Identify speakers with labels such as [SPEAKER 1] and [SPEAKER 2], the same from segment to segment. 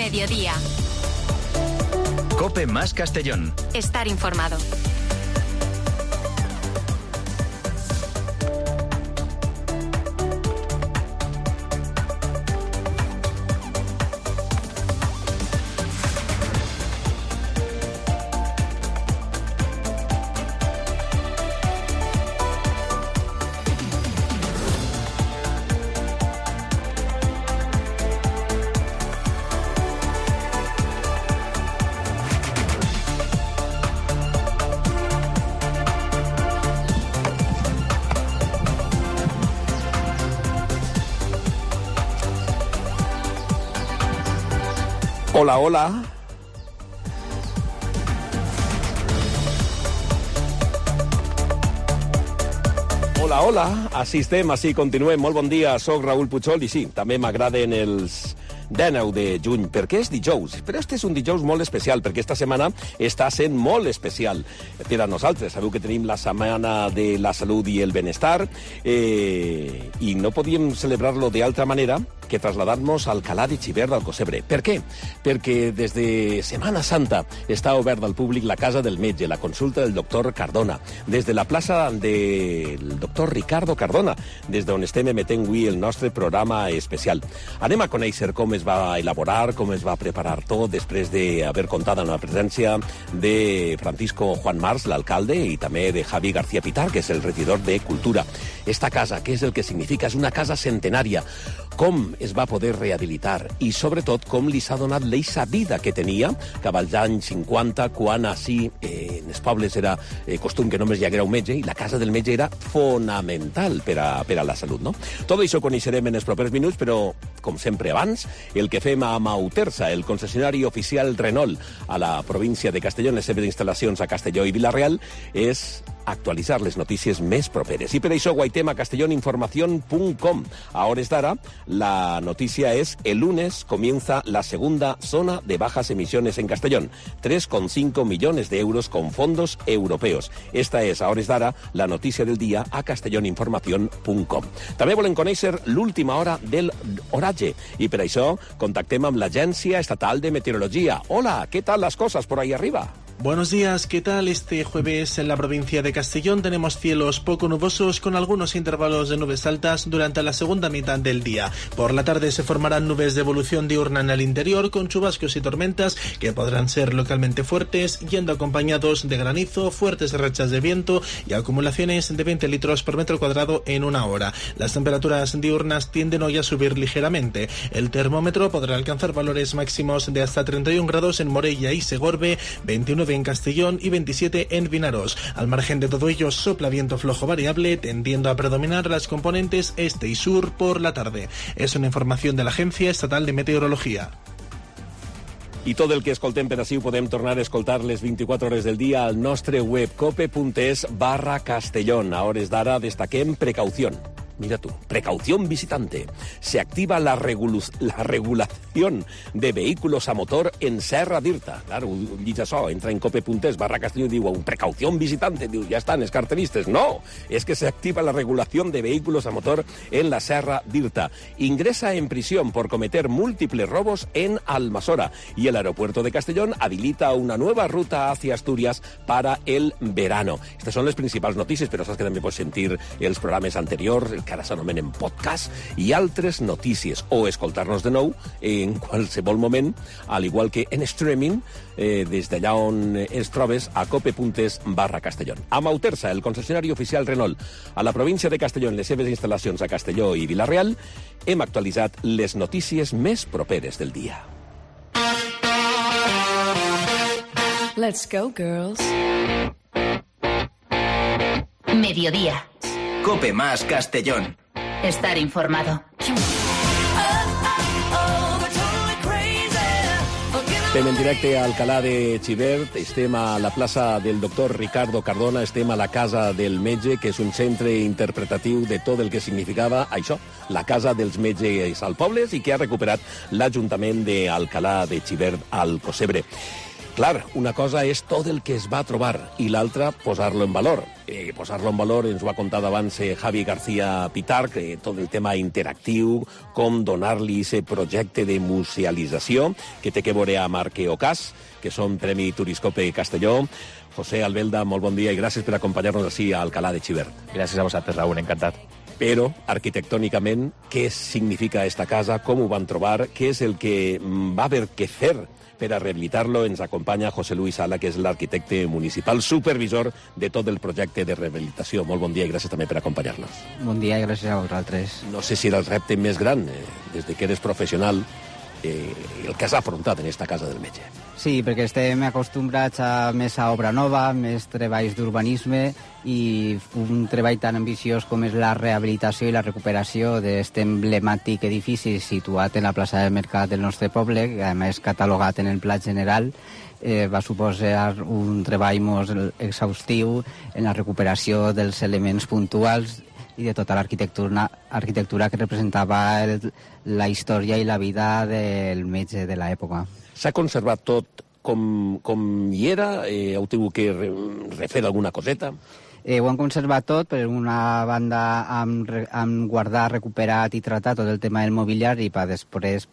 [SPEAKER 1] Mediodía.
[SPEAKER 2] COPE más Castellón.
[SPEAKER 1] Estar informado.
[SPEAKER 3] Hola, hola. Hola, hola. Així estem, així continuem. Molt bon dia, soc Raül Puigol i sí, també m'agraden els 19 de juny, perquè és dijous. Però este és un dijous molt especial, perquè esta setmana està sent molt especial per a nosaltres. Sabeu que tenim la Setmana de la Salut i el Benestar i no podíem celebrar-lo d'altra manera que trasladar-nos al Alcalá de Xivert d'Alcossebre. Per què? Perquè des de Setmana Santa està obert al públic la Casa del Metge, la consulta del doctor Cardona, des de la plaça del doctor Ricardo Cardona, des d'on estem emetent avui el nostre programa especial. Anem a conèixer com es va elaborar, com es va preparar tot, després d'haver comptat amb la presència de Francisco Juan Mars, l'alcalde, i també de Javi García Pitar, que és el regidor de Cultura. Esta casa, què és el que significa? És una casa centenària. Com es va poder rehabilitar i, sobretot, com li s'ha donat l'eixa vida que tenia cap als anys 50, quan així en els pobles era costum que només hi haguera un metge i la casa del metge era fonamental per a la salut, no? Tot això ho coneixerem en els propers minuts, però, com sempre abans, el que fem a Mautersa, el concessionari oficial Renault a la província de Castelló, en les seves instal·lacions a Castelló i Vila-real, és actualitzar les notícies més properes. I per això guaitem a castelloninformación.com. A hores d'ara, la noticia es: el lunes comienza la segunda zona de bajas emisiones en Castellón. 3,5 millones de euros con fondos europeos. Esta és, a hores d'ara, la notícia del dia a castelloninformación.com. També volem conèixer l'última hora del oratge i per això contactem amb l'Agència Estatal de Meteorologia. Hola, ¿qué tal las cosas por ahí arriba?
[SPEAKER 4] Buenos días, ¿qué tal? Este jueves en la provincia de Castellón tenemos cielos poco nubosos con algunos intervalos de nubes altas durante la segunda mitad del día. Por la tarde se formarán nubes de evolución diurna en el interior con chubascos y tormentas que podrán ser localmente fuertes, yendo acompañados de granizo, fuertes rachas de viento y acumulaciones de 20 litros por metro cuadrado en una hora. Las temperaturas diurnas tienden hoy a subir ligeramente. El termómetro podrá alcanzar valores máximos de hasta 31 grados en Morella y Segorbe, 29 en Castellón y 27 en Vinaròs. Al margen de todo ello, sopla viento flojo variable, tendiendo a predominar las componentes este y sur por la tarde. Es una información de la Agencia Estatal de Meteorología.
[SPEAKER 3] I tot el que escoltem per ací ho podem tornar a escoltar les 24 hores del dia al nostre web cope.es/Castellón. A hores d'ara destaquem precaució. Mira tú, precaución visitante. Se activa la regulación de vehículos a motor en Serra d'Irta. Claro, dice això, entra en cope.es/Castelló y digo, precaución visitante. Diu, ya están, es cartelistes. No, es que se activa la regulación de vehículos a motor en la Serra d'Irta. Ingresa en prisión por cometer múltiples robos en Almassora. Y el aeropuerto de Castellón habilita una nueva ruta hacia Asturias para el verano. Estas son les principals notícies, però saps que també pots sentir els programes anteriors, que ara s'anomenen podcast, i altres notícies, o escoltar-nos de nou en qualsevol moment, al igual que en streaming, des d'allà on ens trobes a cope.es/Castellón. A Mautersa, el concessionari oficial Renault a la província de Castelló, en les seves instal·lacions a Castelló i Vila-real, hem actualitzat les notícies més properes del dia.
[SPEAKER 1] Let's go, girls. Mediodía.
[SPEAKER 2] COPE más Castellón.
[SPEAKER 1] Estar informado.
[SPEAKER 3] Estem en directe a Alcalá de Xivert, estem a la plaça del doctor Ricardo Cardona, estem a la Casa del Metge, que és un centre interpretatiu de tot el que significava això, la Casa dels Metges al Pobles, i que ha recuperat l'Ajuntament d'Alcalá de Xivert al Alcossebre. Clar, una cosa és tot el que es va trobar i l'altra posar-lo en valor. Posar-lo en valor ens ho ha contat abans Javi García Pitarch, tot el tema interactiu, com donar-li aquest projecte de musealització que té que veure amb Arqueocas, que són Premi Turiscope Castelló. José Albelda, molt bon dia i gràcies per acompanyar-nos així a Alcalá de Xivert.
[SPEAKER 5] Gràcies a vosaltres, Raúl, encantat.
[SPEAKER 3] Però, arquitectònicament, què significa esta casa, com ho van trobar, què és el que va haver que fer per a rehabilitar-lo? Ens acompanya José Luis Sala, que és l'arquitecte municipal, supervisor de tot el projecte de rehabilitació. Molt bon dia i gràcies també per acompanyar-nos.
[SPEAKER 6] Bon dia i gràcies a vosaltres.
[SPEAKER 3] No sé si era el repte més gran, des de que eres professional, el que has afrontat en esta casa del metge.
[SPEAKER 6] Sí, perquè estem acostumbrats a més a obra nova, més treballs d'urbanisme i un treball tan ambiciós com és la rehabilitació i la recuperació d'aquest emblemàtic edifici situat en la plaça del Mercat del nostre poble, que a més catalogat en el Pla General, va suposar un treball molt exhaustiu en la recuperació dels elements puntuals i de tota l'arquitectura que representava la història i la vida del metge de l'època.
[SPEAKER 3] S'ha conservat tot com hi era? Heu tingut que refer alguna coseta?
[SPEAKER 6] Ho han conservat tot, per una banda han guardat, recuperat i tratat tot el tema del mobiliari per després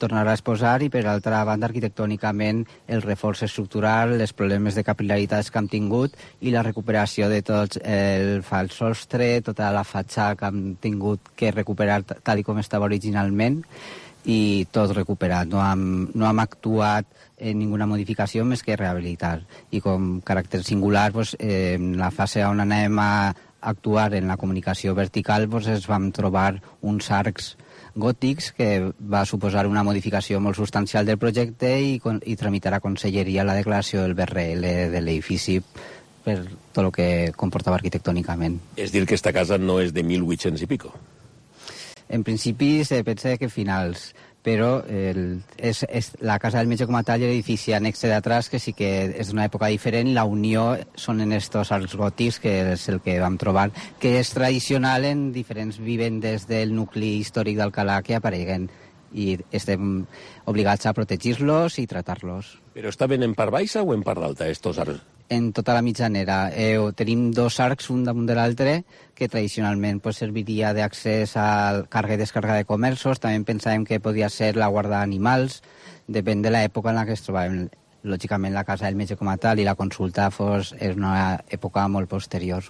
[SPEAKER 6] tornar a exposar, i per altra banda arquitectònicament el reforç estructural, els problemes de capil·laritats que hem tingut i la recuperació de tot el fals sostre, tota la fatxada que hem tingut que recuperar tal com estava originalment, i tot recuperat. No hem actuat en ninguna modificació més que rehabilitar. I com caràcter singular, en la fase on anem a actuar en la comunicació vertical, ens vam trobar uns arcs gòtics que va suposar una modificació molt substancial del projecte i tramitar a Conselleria la declaració del BRL de l'edifici per tot el que comportava arquitectònicament.
[SPEAKER 3] És dir, que esta casa no és de 1800 i pico?
[SPEAKER 6] En principi se pensa que finals, però és la casa del metge com a tal i l'edifici annexe d'atrás, que sí que és d'una època diferent. La unió són en estos arcs gòtics, que és el que vam trobar, que és tradicional en diferents vivendes del nucli històric d'Alcalà que apareguen, i estem obligats a protegir-los i tratar-los.
[SPEAKER 3] Però estaven en part baixa o en part alta, estos arcs?
[SPEAKER 6] En tota la mitjanera. Tenim dos arcs, un damunt de l'altre, que tradicionalment serviria d'accés a càrrega i descàrrega de comerços. També pensàvem que podia ser la guarda d'animals, depèn de l'època en la que es trobàvem. Lògicament la casa del metge com a tal i la consulta és una època molt posterior.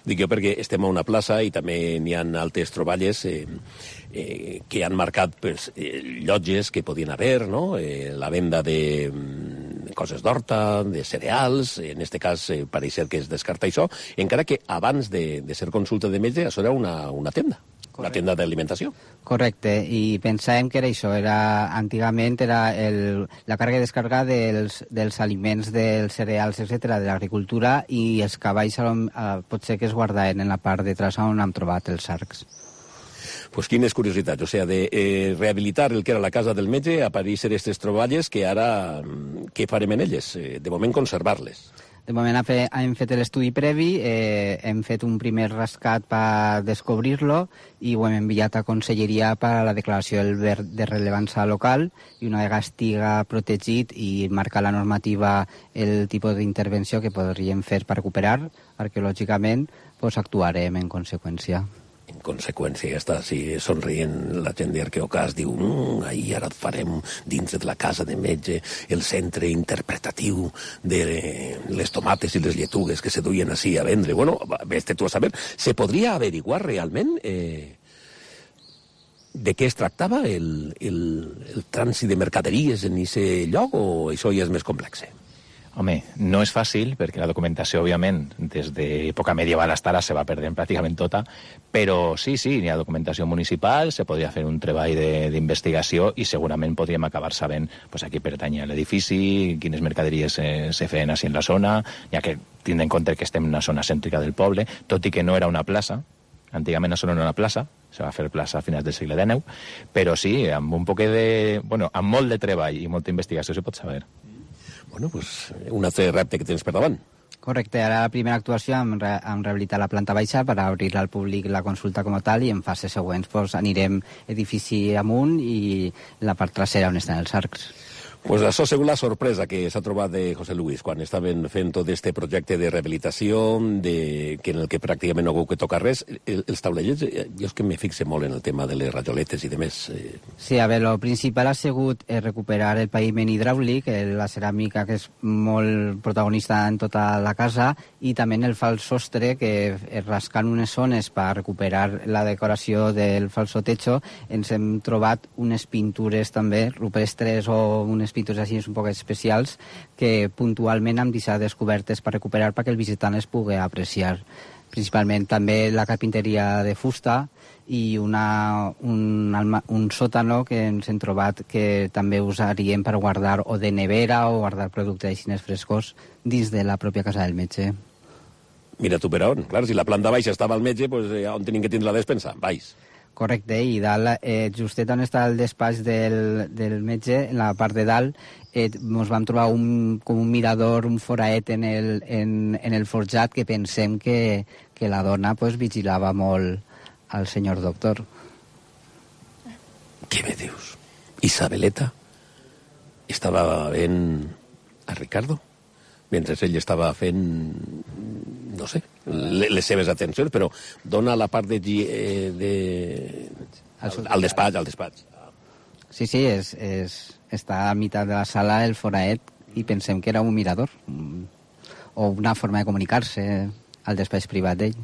[SPEAKER 3] Dic jo perquè estem a una plaça i també n'hi ha altres troballes que han marcat llotges que podien haver, no? La venda de coses d'horta, de cereals, en aquest cas pareix ser que es descarta això, encara que abans de ser consulta de metge això era una tenda. Correcte. Una tenda d'alimentació.
[SPEAKER 6] Correcte, i pensàvem que era això, antigament era la càrrega i descàrrega dels aliments, dels cereals, etc., de l'agricultura, i els cavalls potser que es guardaven en la part de traç on hem trobat els arcs.
[SPEAKER 3] Pues quines curiositats, o sigui, de rehabilitar el que era la casa del metge, apareixen aquestes troballes que ara, què farem en elles? De moment conservar-les.
[SPEAKER 6] De moment hem fet l'estudi previ, hem fet un primer rescat per descobrir-lo i ho hem enviat a Conselleria per a la declaració de rellevància local, i una vegada estiga protegit i marca la normativa el tipus d'intervenció que podríem fer per recuperar arqueològicament, actuarem en conseqüència.
[SPEAKER 3] En conseqüència, ja està així somrient la gent d'Arqueocas, diu ahir ara farem dins de la casa de metge el centre interpretatiu de les tomates i les lletugues que se duien així a vendre. Bueno, vés-te tu a saber. Se podria averiguar realment de què es tractava el trànsit de mercaderies en aquest lloc, o això ja és més complex?
[SPEAKER 5] Home, no és fàcil, perquè la documentació, òbviament, des d'època medieval fins ara se va perdent pràcticament tota, però sí, hi ha documentació municipal, se podria fer un treball d'investigació i segurament podríem acabar sabent a qui pertany l'edifici, quines mercaderies se feien així en la zona, ja que tindre en compte que estem en una zona cèntrica del poble, tot i que no era una plaça. Antigament això no era una plaça, se va fer plaça a finals del segle XIX, però sí, amb un poc amb molt de treball i molta investigació se pot saber.
[SPEAKER 3] Bueno, pues un altre repte que tens per davant.
[SPEAKER 6] Correcte, ara la primera actuació hem rehabilitat la planta baixa per obrir al públic la consulta com a tal, i en fases següents anirem edifici amunt i la part trasera on estan els arcs.
[SPEAKER 3] Pues això ha sigut la sorpresa que s'ha trobat de José Luis quan estaven fent tot este projecte de rehabilitació, que en el que pràcticament no hagut que tocar res. Els taulellets, jo és que me fixe molt en el tema de les rajoletes i demés.
[SPEAKER 6] Sí, a veure, el principal ha sigut recuperar el paviment hidràulic, la ceràmica que és molt protagonista en tota la casa, i també el fals sostre, que rascant unes zones per recuperar la decoració del falso techo, ens hem trobat unes pintures també rupestres o unes pintures així un poc especials que puntualment hem deixat descobertes per recuperar perquè el visitant es pugui apreciar. Principalment també la carpinteria de fusta i un sòtano que ens hem trobat que també usaríem per guardar o de nevera o guardar productes així frescos dins de la pròpia casa del metge.
[SPEAKER 3] Mira tu per on. Clar, si la planta baixa estava al metge, pues, on tenim que tindre la despensa? Baix.
[SPEAKER 6] Correcte, i dalt, justet on està el despatx del metge, en la part de dalt, ens vam trobar com un mirador, un foraet en el forjat que pensem que la dona pues, vigilava molt al senyor doctor.
[SPEAKER 3] Què me dius? Isabeleta estava veient a Ricardo mentre ell estava fent, no sé, les seves atencions, però dona la part al despatx.
[SPEAKER 6] Sí, està a meitat de la sala el foraet i pensem que era un mirador o una forma de comunicar-se al despatx privat d'ell.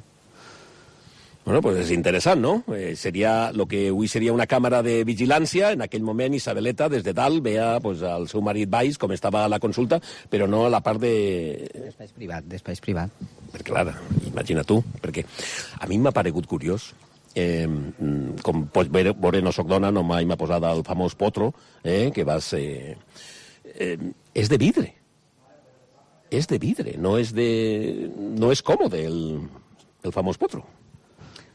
[SPEAKER 3] Bueno, pues és interessant, no? Seria lo que avui seria una càmera de vigilància. En aquell moment Isabeleta, des de dalt, veia pues, el seu marit baix, com estava a la consulta, però no a la part de...
[SPEAKER 6] Despatx privat.
[SPEAKER 3] Perquè, clar, imagina tu, perquè a mi m'ha paregut curiós. Com pots veure, no soc dona, no mai m'ha posat el famós potro, que va ser... és de vidre. És de vidre, no és còmode el famós potro.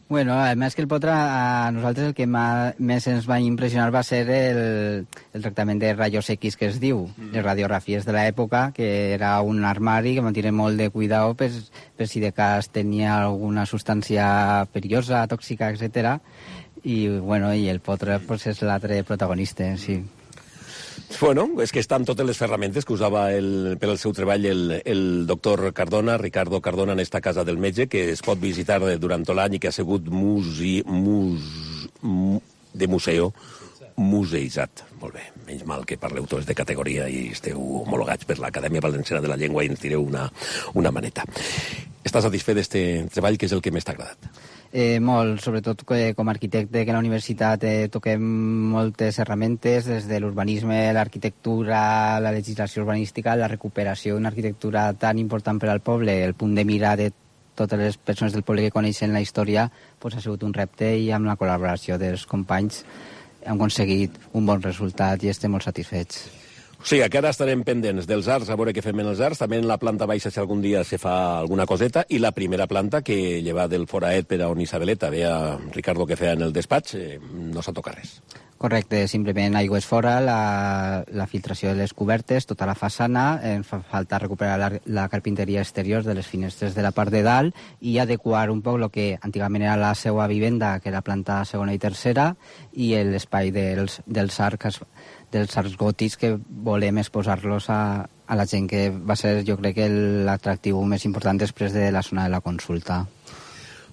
[SPEAKER 6] Bueno, més que el potre, a nosaltres el que més ens va impressionar va ser el tractament de rayos X que es diu, les radiografies de l'època, que era un armari que mantiene molt de cuidado per si de cas tenia alguna substància perillosa, tòxica, etc. I el potre pues, és l'altre protagonista, sí.
[SPEAKER 3] Bueno, és que estan totes les ferramentes que usava per al seu treball el doctor Cardona, Ricardo Cardona, en esta casa del metge, que es pot visitar durant tot l'any i que ha sigut museïtzat. Molt bé, menys mal que parleu tots de categoria i esteu homologats per l'Acadèmia Valenciana de la Llengua i ens tireu una maneta. Estàs satisfet d'aquest treball? Què és el que més t'ha agradat?
[SPEAKER 6] Molt, sobretot com a arquitecte que a la universitat toquem moltes herramientes, des de l'urbanisme, l'arquitectura, la legislació urbanística, la recuperació d'una arquitectura tan important per al poble, el punt de mira de totes les persones del poble que coneixen la història, pues, ha sigut un repte i amb la col·laboració dels companys hem aconseguit un bon resultat i estem molt satisfets.
[SPEAKER 3] O sigui, que ara estarem pendents dels arts, a veure què fem en els arts, també en la planta baixa si algun dia se fa alguna coseta, i la primera planta que lleva del foraet per a on Isabeleta veia Ricardo que feia en el despatx, no s'ha tocat res.
[SPEAKER 6] Correcte, simplement aigües fora, la filtració de les cobertes, tota la façana, ens fa falta recuperar la carpinteria exterior de les finestres de la part de dalt i adequar un poc el que antigament era la seva vivenda, que era planta segona i tercera, i l'espai dels arcs gòtics que volem exposar-los a la gent, que va ser, jo crec, l'atractiu més important després de la zona de la consulta.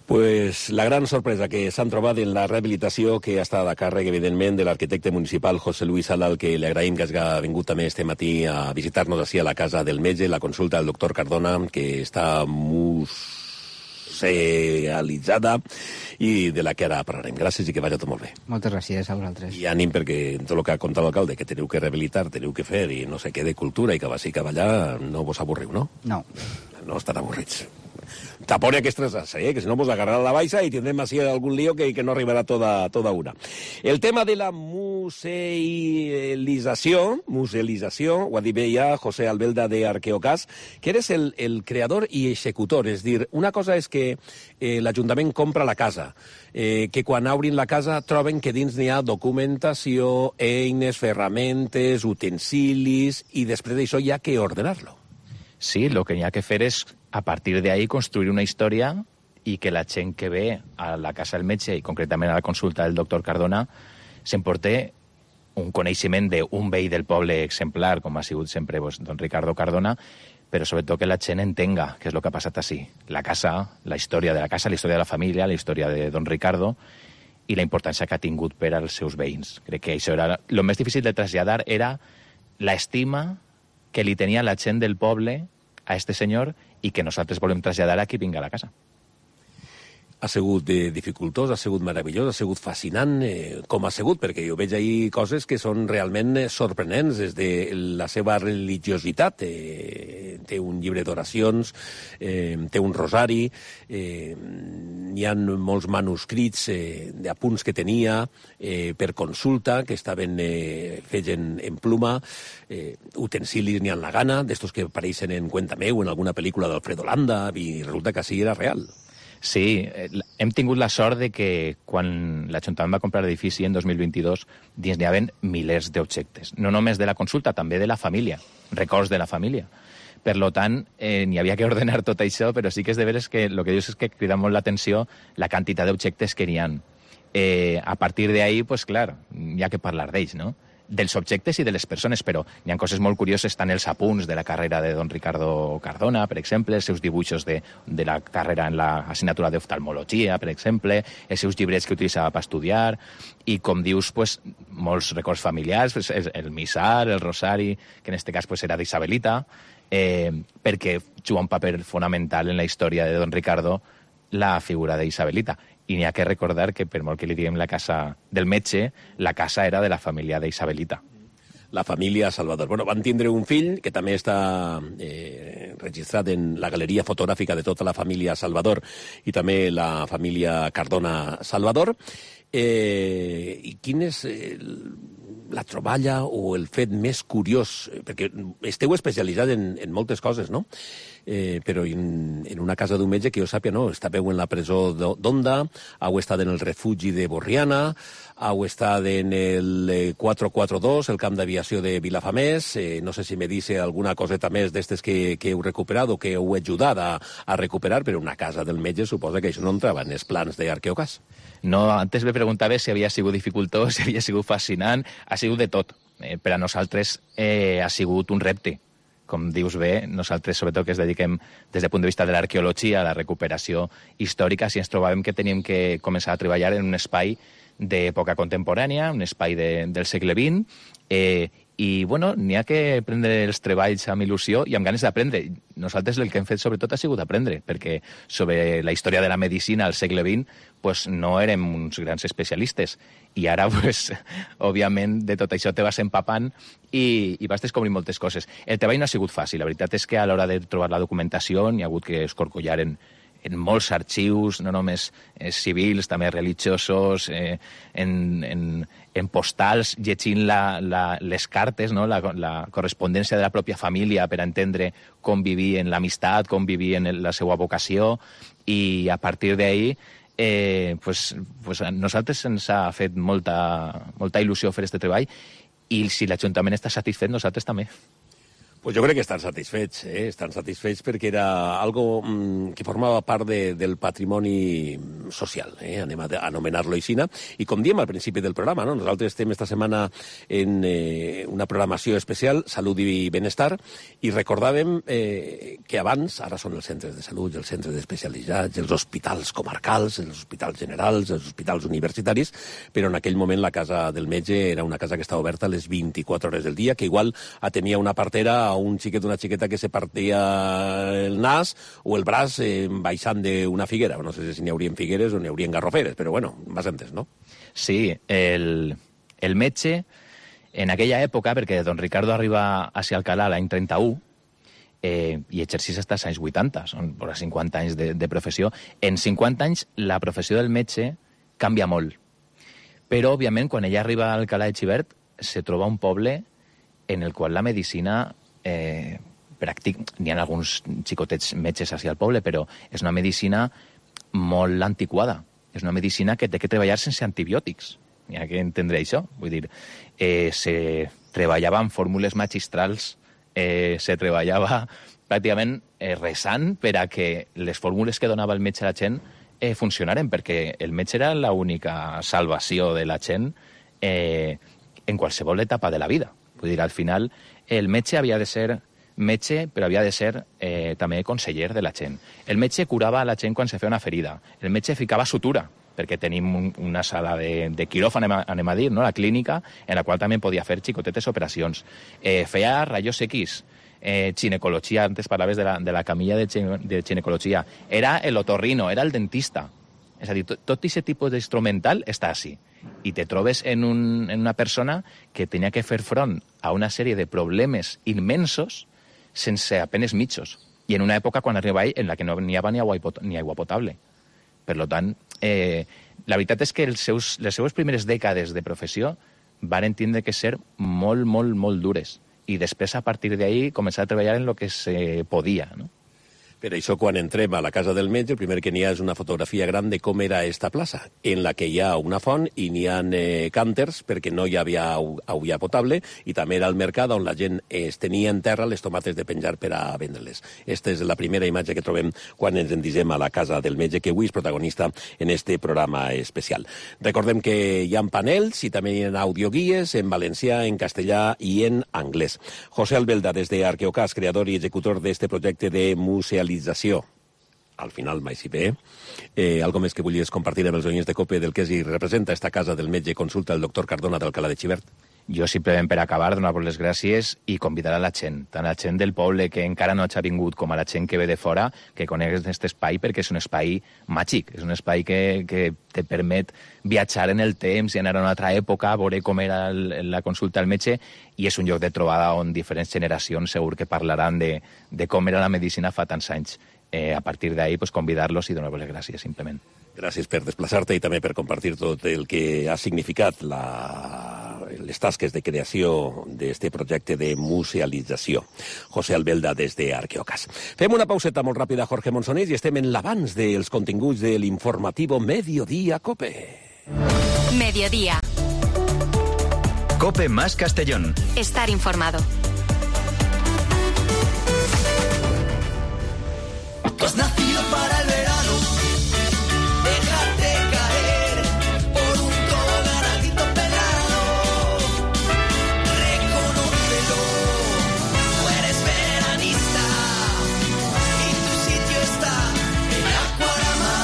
[SPEAKER 3] Pues la gran sorpresa que s'han trobat en la rehabilitació que ha estat a càrrec, evidentment, de l'arquitecte municipal José Luis Sala, al que li agraïm que hagi vingut també este matí a visitar-nos així a la casa del metge, la consulta del doctor Cardona, que està musealitzada i de la que ara parlarem. Gràcies i que vagi tot molt bé.
[SPEAKER 6] Moltes gràcies a vosaltres.
[SPEAKER 3] I ànim perquè tot el que ha contat l'alcalde, que teniu que rehabilitar, teniu que fer i no sé què de cultura i que vagi cap allà, no vos avorriu, no?
[SPEAKER 6] No.
[SPEAKER 3] No estan avorrits. Tapone aquestes asas, que si no vos agarrarà la baixa i tindrem així algun lío que no arribarà toda una. El tema de la musealització, ho ha dit bé ja José Albelda de Arqueocas, que eres el creador i executor, és dir, una cosa és que l'Ajuntament compra la casa, que quan obrin la casa troben que dins n'hi ha documentació, eines, ferramentes, utensilis, i després d'això hi ha que ordenar-lo.
[SPEAKER 5] Sí, lo que n'hi ha que fer és, a partir de ahí, construir una història i que la gent que ve a la casa del metge, i concretament a la consulta del doctor Cardona, s'emporte un coneixement d'un veí del poble exemplar, com ha sigut sempre don Ricardo Cardona, però sobretot que la gent entenga què és el que ha passat així. La casa, la història de la casa, la història de la família, la història de don Ricardo i la importància que ha tingut per als seus veïns. Crec que això era... El més difícil de traslladar era l'estima que li tenia la gent del poble a este senyor i que nosaltres volem traslladar a qui vinga a la casa.
[SPEAKER 3] Ha sigut dificultós, ha sigut meravellós, ha sigut fascinant, com ha sigut, perquè jo veig ahir coses que són realment sorprenents, des de la seva religiositat. Té un llibre d'oracions, té un rosari, hi ha molts manuscrits d'apunts que tenia per consulta, que estaven fets en pluma, utensilis n'hi ha la gana, d'estos que apareixen en Cuéntame o en alguna pel·lícula d'Alfredo Landa, i resulta que així era real.
[SPEAKER 5] Sí, hem tingut la sort de que quan l'Ajuntament va comprar l'edifici en 2022 dins n'hi havia milers d'objectes. No només de la consulta, també de la família, records de la família. Per tant, n'hi havia que ordenar tot això, però sí que és de veres que el que dius és que crida molt l'atenció la quantitat d'objectes que n'hi ha. A partir d'ahí, pues clar, hi ha que parlar d'ells, no? Dels objectes i de les persones, però hi ha coses molt curioses, estan els apunts de la carrera de don Ricardo Cardona, per exemple, els seus dibuixos de la carrera en l'assignatura d'oftalmologia, per exemple, els seus llibrets que utilitzava per estudiar, i com dius, pues, molts records familiars, pues, el missal, el rosari, que en aquest cas pues, era d'Isabelita, perquè juga un paper fonamental en la història de don Ricardo la figura d'Isabelita. I n'hi ha que recordar que, per molt que li diguem la casa del metge, la casa era de la família d'Isabelita.
[SPEAKER 3] La família Salvador. Bueno, van tindre un fill que també està registrat en la galeria fotogràfica de tota la família Salvador i també la família Cardona Salvador. I quin és la troballa o el fet més curiós? Perquè esteu especialitzats en moltes coses, no? Però en una casa d'un metge que jo sàpia, no, estàveu en la presó d'Onda, heu estat en el refugi de Borriana, heu estat en el 442, el camp d'aviació de Vilafamés, no sé si me dice alguna coseta més d'estes que heu recuperat o que heu ajudat a recuperar, però una casa del metge suposa que això no entrava en els plans d'Arqueocas.
[SPEAKER 5] No, antes me preguntava si havia sigut dificultós, si havia sigut fascinant, ha sigut de tot. Per a nosaltres ha sigut un repte. Com dius bé, nosaltres sobretot que ens dediquem des del punt de vista de l'arqueologia a la recuperació històrica, si ens trobàvem que teníem que començar a treballar en un espai d'època contemporània, un espai del segle XX, i bueno, n'hi ha que prendre els treballs amb il·lusió i amb ganes d'aprendre. Nosaltres el que hem fet sobretot ha sigut aprendre, perquè sobre la història de la medicina al segle XX pues, no érem uns grans especialistes. I ara, pues, òbviament, de tot això te vas empapant i vas descobrint moltes coses. El treball no ha sigut fàcil. La veritat és que a l'hora de trobar la documentació n'hi ha hagut que escorcollar en molts arxius, no només civils, també religiosos, en postals, llegint les cartes, no? la correspondència de la pròpia família per entendre com vivien l'amistat, com vivien la seva vocació, i a partir d'ahir pues nosaltres ens ha fet molta il·lusió fer aquest treball, i si l'Ajuntament està satisfet, nosaltres també.
[SPEAKER 3] Pues jo crec que estan satisfets perquè era algo que formava part del patrimoni social, anem a anomenar-lo així. I com diem al principi del programa, no? Nosaltres estem esta setmana en una programació especial, Salut i Benestar, i recordàvem que abans, ara són els centres de salut, els centres especialitzats, els hospitals comarcals, els hospitals generals, els hospitals universitaris, però en aquell moment la casa del metge era una casa que estava oberta a les 24 hores del dia, que igual atenia una partera a un xiquet o una xiqueta que se partia el nas o el braç baixant d'una figuera. No sé si n'hi haurien figueres o n'hi haurien garroferes, però bueno, m'has entès, no?
[SPEAKER 5] Sí, el metge, en aquella època, perquè don Ricardo arriba a ser Alcalá l'any 31, i exercís fins als anys 80, són 50 anys de professió. En 50 anys la professió del metge canvia molt. Però, òbviament, quan ella arriba a Alcalá de Xivert, se troba un poble en el qual la medicina n'hi ha alguns xicotets metges hacia el poble, però és una medicina molt antiquada. És una medicina que té que treballar sense antibiòtics. Hi ha que entendre això. Vull dir, se treballava amb fórmules magistrals, se treballava pràcticament resant per a que les fórmules que donava el metge a la gent funcionaren, perquè el metge era l'única salvació de la gent, en qualsevol etapa de la vida. Vull dir, al final, el metge havia de ser metge, però havia de ser també conseller de la gent. El metge curava a la gent quan se feia una ferida. El metge ficava sutura, perquè tenim una sala de quiròfan, anem a dir, no? La clínica, en la qual també podia fer xicotetes operacions. Feia rayos X, ginecologia, antes parlaves de la camilla de ginecologia. Era el otorrino, era el dentista. És a dir, tot aquest tipus d'instrumental està així. I te trobes en una persona que tenia que fer front a una sèrie de problemes immensos sense apenes mitjos. I en una època, quan arriba ell, en la que no n'hi havia ni aigua potable. Per tant, la veritat és que les seues primeres dècades de professió van tindre que ser molt, molt, molt dures. I després, a partir d'ahí, començar a treballar en el que se podia, no?
[SPEAKER 3] Per això, quan entrem a la casa del metge, el primer que n'hi ha és una fotografia gran de com era esta plaça, en la que hi ha una font i n'hi ha cànters perquè no hi havia aigua potable, i també era el mercat on la gent es tenia en terra les tomates de penjar per a vendre-les. Esta és la primera imatge que trobem quan ens endisem a la casa del metge, que avui és protagonista en este programa especial. Recordem que hi ha panels i també hi ha audioguies en valencià, en castellà i en anglès. José Albelda, des de Arqueocas, creador i executor d'este projecte de musealització. Al final, mai si bé. Algo més que volies compartir amb els oients de COPE del que es representa esta casa del metge consulta el doctor Cardona d'Alcalá de Xivert?
[SPEAKER 5] Jo simplement per acabar donar les gràcies i convidar a la gent, tant a la gent del poble que encara no ha vingut com a la gent que ve de fora, que conegues aquest espai perquè és un espai màgic, és un espai que te permet viatjar en el temps i anar a una altra època, veure com era la consulta al metge, i és un lloc de trobada on diferents generacions segur que parlaran de com era la medicina fa tants anys. A partir d'ahí, convidar-los i donar-los les gràcies, simplement.
[SPEAKER 3] Gràcies per desplaçar-te i també per compartir tot el que ha significat les tasques de creació d'este projecte de musealització. José Albelda, des d'Arqueocas. Fem una pauseta molt ràpida, Jorge Monsonés, i estem en l'abans dels continguts de l'informatiu Mediodía COPE.
[SPEAKER 1] Mediodía.
[SPEAKER 2] COPE más Castellón.
[SPEAKER 1] Estar informado.
[SPEAKER 7] Tú has nacido para el verano, déjate caer por un coloradito pelado, reconócelo, tú eres veranista y tu sitio está en Aquarama.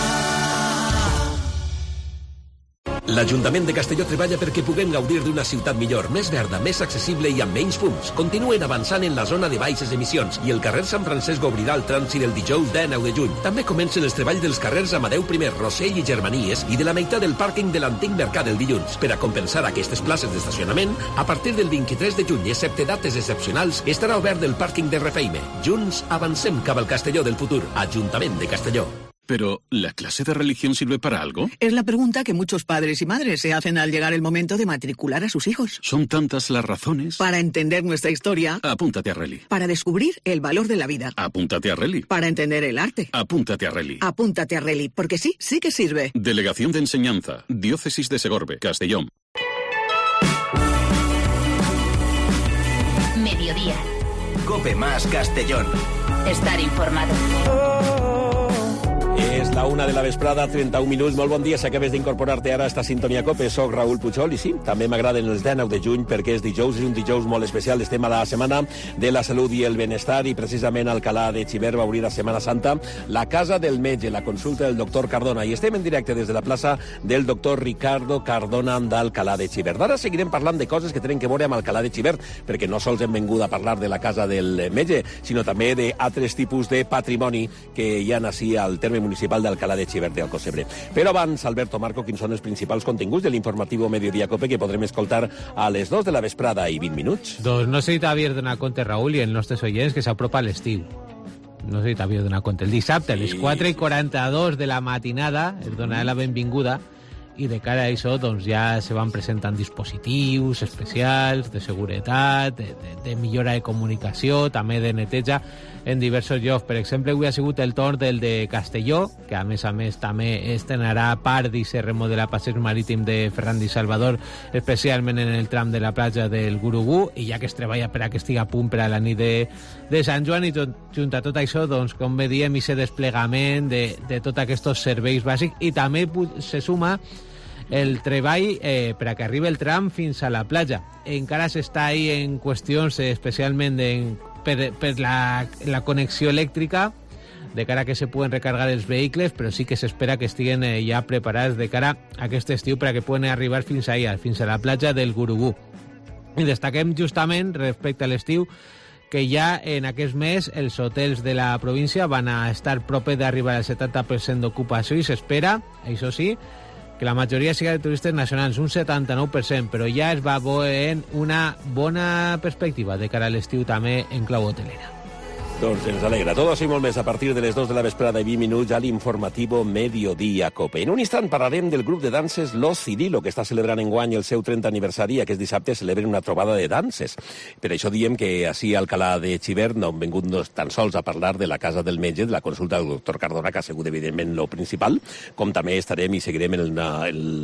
[SPEAKER 3] L'Ajuntament de Castelló treballa perquè puguem gaudir d'una ciutat millor, més verda, més accessible i amb menys fums. Continuen avançant en la zona de baixes emissions i el carrer Sant Francesc obrirà el trànsit el dijous 19 de juny. També comencen els treballs dels carrers Amadeu I, Rossell i Germanies i de la meitat del pàrquing de l'antic mercat el dilluns. Per a compensar aquestes places d'estacionament, a partir del 23 de juny, excepte dates excepcionals, estarà obert el pàrquing de Refeime. Junts avancem cap al Castelló del futur. Ajuntament de Castelló.
[SPEAKER 8] Pero, ¿la clase de religión sirve para algo?
[SPEAKER 9] Es la pregunta que muchos padres y madres se hacen al llegar el momento de matricular a sus hijos.
[SPEAKER 8] ¿Son tantas las razones?
[SPEAKER 9] Para entender nuestra historia.
[SPEAKER 8] Apúntate a Reli.
[SPEAKER 9] Para descubrir el valor de la vida.
[SPEAKER 8] Apúntate a Reli.
[SPEAKER 9] Para entender el arte.
[SPEAKER 8] Apúntate a Reli.
[SPEAKER 9] Apúntate a Reli, porque sí que sirve.
[SPEAKER 8] Delegación de Enseñanza, Diócesis de Segorbe, Castellón.
[SPEAKER 1] Mediodía.
[SPEAKER 2] COPE más Castellón.
[SPEAKER 1] Estar informado.
[SPEAKER 3] És la 1 de la vesprada, 31 minuts. Molt bon dia, si acabes d'incorporar-te ara a esta sintonia COPE. Soc Raül Puchol i sí, també m'agraden els 19 de juny perquè és dijous, és un dijous molt especial. Estem a la Setmana de la Salut i el Benestar i precisament Alcalá de Xivert va obrir a Setmana Santa la Casa del Metge, la consulta del doctor Cardona. I estem en directe des de la plaça del doctor Ricardo Cardona d'Alcalá de Xivert. Ara seguirem parlant de coses que tenen que veure amb Alcalá de Xivert, perquè no sols hem vengut a parlar de la Casa del Metge, sinó també d'altres tipus de patrimoni que hi ha així al terme municipal d'Alcalá de Xivert de Alcocebre. Però abans, Alberto Marco, quins són els principals continguts de l'informatiu Mediodía COPE que podrem escoltar a les 2 de la vesprada i 20 minuts?
[SPEAKER 10] Doncs no sé si t'havies donat compte, Raül, i els nostres oients, que s'apropa l'estiu. No sé si t'havies donat compte. El dissabte, a les 4:42 de la matinada, es donarà la benvinguda, i de cara a això doncs, ja se van presentant dispositius especials de seguretat, de millora de comunicació, també de neteja en diversos llocs. Per exemple, avui ha sigut el torn del de Castelló, que a més també estrenarà part d'aquest remodelar passeig marítim de Ferran i Salvador, especialment en el tram de la platja del Gurugú, i ja que es treballa per a que estigui a punt per a la nit de Sant Joan, i junt a tot això, doncs, com bé diem, aquest desplegament de tots aquests serveis bàsics, i també se suma el treball per a que arribi el tram fins a la platja. Encara s'està ahí en qüestions especialment per la connexió elèctrica, de cara a que se puguen recargar els vehicles, però sí que s'espera que estiguen ja preparats de cara a aquest estiu per a que puguen arribar fins allà, fins a la platja del Gurugú. I destaquem justament respecte a l'estiu que ja en aquest mes els hotels de la província van a estar proper d'arribar al 70% d'ocupació i s'espera, això sí, que la majoria siga de turistes nacionals, un 79%, però ja es va veure una bona perspectiva de cara a l'estiu també en clau hotelera.
[SPEAKER 3] Doncs ens alegra. Tot això i molt més a partir de les 2 de la vesprada i 20 minuts a l'informativo Mediodía Cope. En un instant parlarem del grup de danses Lo Cirilo, que està celebrant enguany el seu 30 aniversari i aquest dissabte celebren una trobada de danses. Per això diem que així a Alcalà de Xivert no hem vengut tan sols a parlar de la Casa del Metge, de la consulta del doctor Cardona, que ha sigut evidentment lo principal, com també estarem i seguirem el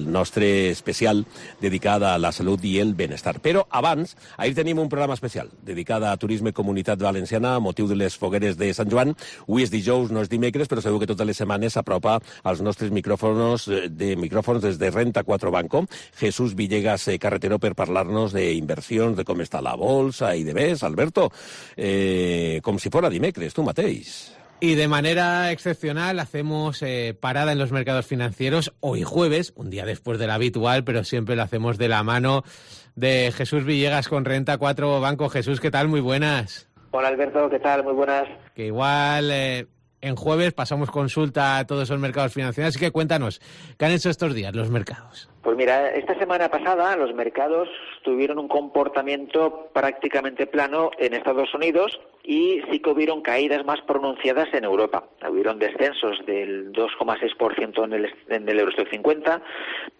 [SPEAKER 3] nostre especial dedicat a la salut i el benestar. Però abans, ahir tenim un programa especial dedicat a turisme i comunitat valenciana a motiu de les fogueres de Sant Joan. Avui és dijous, no és dimecres, però segur que totes les setmanes s'apropa als nostres micròfons des de Renta 4 Banco. Jesús Villegas Carretero per parlar-nos d'inversions, de com està la bolsa i de més. Alberto, com si fora dimecres, tu mateix.
[SPEAKER 10] Y de manera excepcional hacemos parada en los mercados financieros hoy jueves, un día después de la habitual, pero siempre lo hacemos de la mano de Jesús Villegas con Renta 4 Banco. Jesús, ¿qué tal? Muy buenas.
[SPEAKER 11] Hola Alberto, ¿qué tal? Muy buenas.
[SPEAKER 10] Que igual en jueves pasamos consulta a todos esos mercados financieros, así que cuéntanos, ¿qué han hecho estos días los mercados?
[SPEAKER 11] Pues mira, esta semana pasada los mercados tuvieron un comportamiento prácticamente plano en Estados Unidos y sí que hubieron caídas más pronunciadas en Europa. Hubieron descensos del 2,6% en el Eurostoxx 50,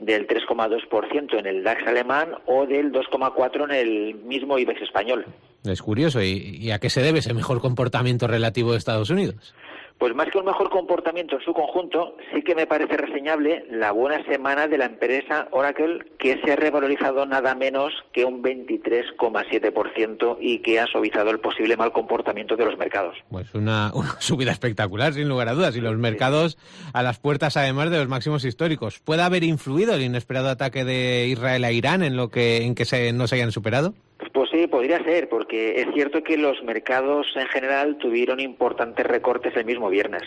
[SPEAKER 11] del 3,2% en el DAX alemán o del 2,4% en el mismo IBEX español.
[SPEAKER 10] Es curioso, ¿y a qué se debe ese mejor comportamiento relativo de Estados Unidos?
[SPEAKER 11] Pues más que un mejor comportamiento en su conjunto, sí que me parece reseñable la buena semana de la empresa Oracle, que se ha revalorizado nada menos que un 23,7% y que ha suavizado el posible mal comportamiento de los mercados.
[SPEAKER 10] Pues una subida espectacular, sin lugar a dudas, y los mercados a las puertas además de los máximos históricos. ¿Puede haber influido el inesperado ataque de Israel a Irán en que no se hayan superado?
[SPEAKER 11] Pues sí, podría ser, porque es cierto que los mercados en general tuvieron importantes recortes el mismo viernes.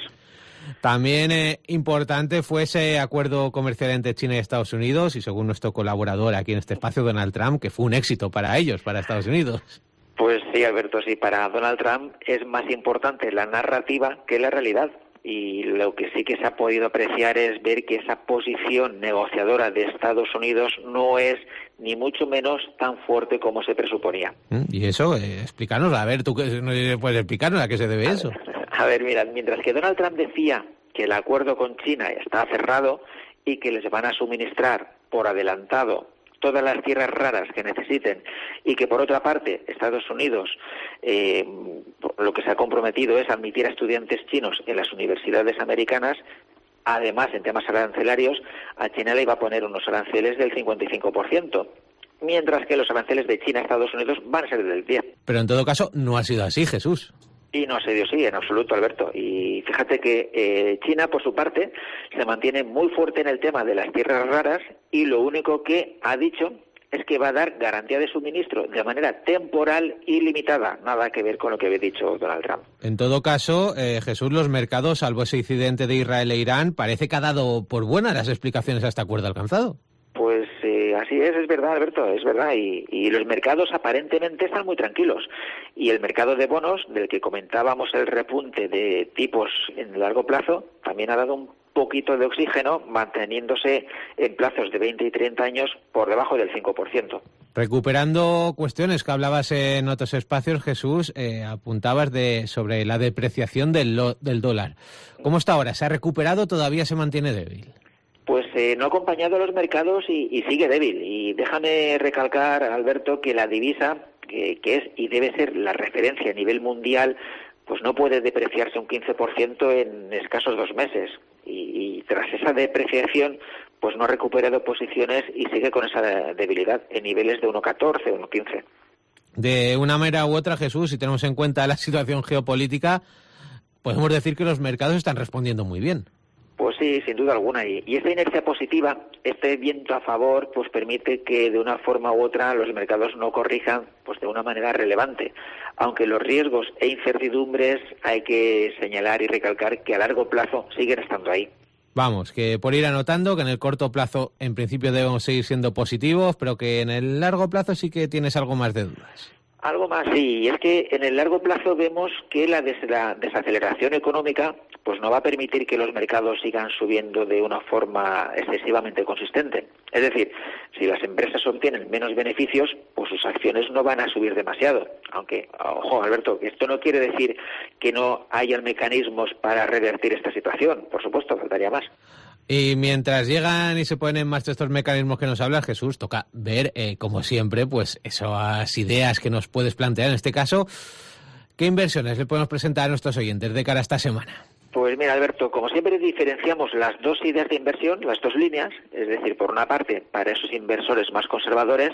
[SPEAKER 10] También importante fue ese acuerdo comercial entre China y Estados Unidos, y según nuestro colaborador aquí en este espacio, Donald Trump, que fue un éxito para ellos, para Estados Unidos.
[SPEAKER 11] Pues sí, Alberto, sí, para Donald Trump es más importante la narrativa que la realidad. Y lo que sí que se ha podido apreciar es ver que esa posición negociadora de Estados Unidos no es ni mucho menos tan fuerte como se presuponía.
[SPEAKER 10] Y eso, explícanos, a ver, tú puedes explicarnos a qué se debe eso.
[SPEAKER 11] A ver, mira, mientras que Donald Trump decía que el acuerdo con China está cerrado y que les van a suministrar por adelantado todas las tierras raras que necesiten y que por otra parte Estados Unidos lo que se ha comprometido es admitir a estudiantes chinos en las universidades americanas. Además, en temas arancelarios, a China le iba a poner unos aranceles del 55%, mientras que los aranceles de China a Estados Unidos van a ser del 10%.
[SPEAKER 10] Pero en todo caso no ha sido así, Jesús.
[SPEAKER 11] Y no se dio así, en absoluto, Alberto. Y fíjate que China, por su parte, se mantiene muy fuerte en el tema de las tierras raras y lo único que ha dicho es que va a dar garantía de suministro de manera temporal y limitada. Nada que ver con lo que había dicho Donald Trump.
[SPEAKER 10] En todo caso, Jesús, los mercados, salvo ese incidente de Israel e Irán, parece que ha dado por buenas las explicaciones a este acuerdo alcanzado.
[SPEAKER 11] Pues así es verdad, Alberto, es verdad. Y los mercados aparentemente están muy tranquilos. Y el mercado de bonos, del que comentábamos el repunte de tipos en largo plazo, también ha dado un poquito de oxígeno, manteniéndose en plazos de 20 y 30 años por debajo del 5%.
[SPEAKER 10] Recuperando cuestiones que hablabas en otros espacios, Jesús, apuntabas sobre la depreciación del dólar. ¿Cómo está ahora? ¿Se ha recuperado o todavía se mantiene débil?
[SPEAKER 11] Pues no ha acompañado a los mercados y sigue débil. Y déjame recalcar, Alberto, que la divisa, que es y debe ser la referencia a nivel mundial, pues no puede depreciarse un 15% en escasos 2 meses. Y tras esa depreciación, pues no ha recuperado posiciones y sigue con esa debilidad en niveles de 1,14, 1,15.
[SPEAKER 10] De una manera u otra, Jesús, si tenemos en cuenta la situación geopolítica, podemos decir que los mercados están respondiendo muy bien.
[SPEAKER 11] Pues sí, sin duda alguna. Y esta inercia positiva, este viento a favor, pues permite que de una forma u otra los mercados no corrijan pues de una manera relevante. Aunque los riesgos e incertidumbres hay que señalar y recalcar que a largo plazo siguen estando ahí.
[SPEAKER 10] Vamos, que por ir anotando que en el corto plazo en principio debemos seguir siendo positivos, pero que en el largo plazo sí que tienes algo más de dudas.
[SPEAKER 11] Algo más, sí, y es que en el largo plazo vemos que la desaceleración económica pues no va a permitir que los mercados sigan subiendo de una forma excesivamente consistente. Es decir, si las empresas obtienen menos beneficios, pues sus acciones no van a subir demasiado. Aunque, ojo, Alberto, que esto no quiere decir que no hayan mecanismos para revertir esta situación. Por supuesto, faltaría más.
[SPEAKER 10] Y mientras llegan y se ponen en marcha estos mecanismos que nos habla Jesús, toca ver, como siempre, pues esas ideas que nos puedes plantear. En este caso, ¿qué inversiones le podemos presentar a nuestros oyentes de cara a esta semana?
[SPEAKER 11] Pues mira, Alberto, como siempre diferenciamos las dos ideas de inversión, las dos líneas, es decir, por una parte, para esos inversores más conservadores,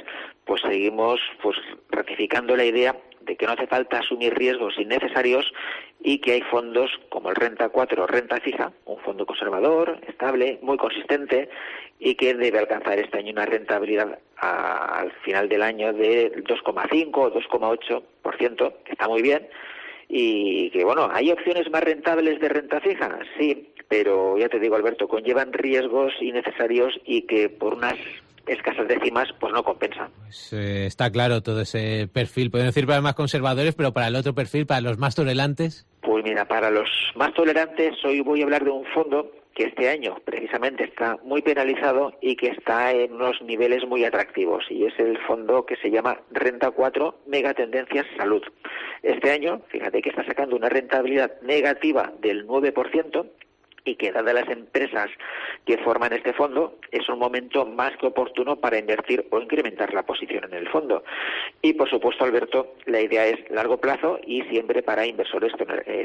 [SPEAKER 11] pues seguimos pues ratificando la idea de que no hace falta asumir riesgos innecesarios y que hay fondos como el Renta 4 Renta Fija, un fondo conservador, estable, muy consistente y que debe alcanzar este año una rentabilidad al final del año de 2,5 o 2,8%, que está muy bien. Y que, bueno, ¿hay opciones más rentables de renta fija? Sí, pero ya te digo, Alberto, conllevan riesgos innecesarios y que por unas escasas décimas pues no compensa.
[SPEAKER 10] Pues, está claro todo ese perfil. Podemos decir para los más conservadores, pero para el otro perfil, para los más tolerantes.
[SPEAKER 11] Pues mira, para los más tolerantes hoy voy a hablar de un fondo que este año precisamente está muy penalizado y que está en unos niveles muy atractivos, y es el fondo que se llama Renta 4 Megatendencias Salud. Este año, fíjate que está sacando una rentabilidad negativa del 9%, y que dadas las empresas que forman este fondo, es un momento más que oportuno para invertir o incrementar la posición en el fondo. Y por supuesto, Alberto, la idea es largo plazo y siempre para inversores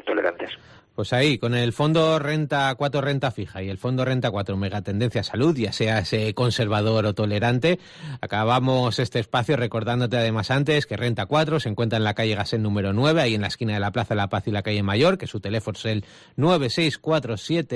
[SPEAKER 11] tolerantes.
[SPEAKER 10] Pues ahí, con el fondo Renta 4 Renta Fija y el fondo Renta 4 Megatendencia Salud, ya sea ese conservador o tolerante, acabamos este espacio recordándote además antes que Renta 4 se encuentra en la calle Gasset número 9, ahí en la esquina de la Plaza de la Paz y la calle Mayor, que su teléfono es el 964723550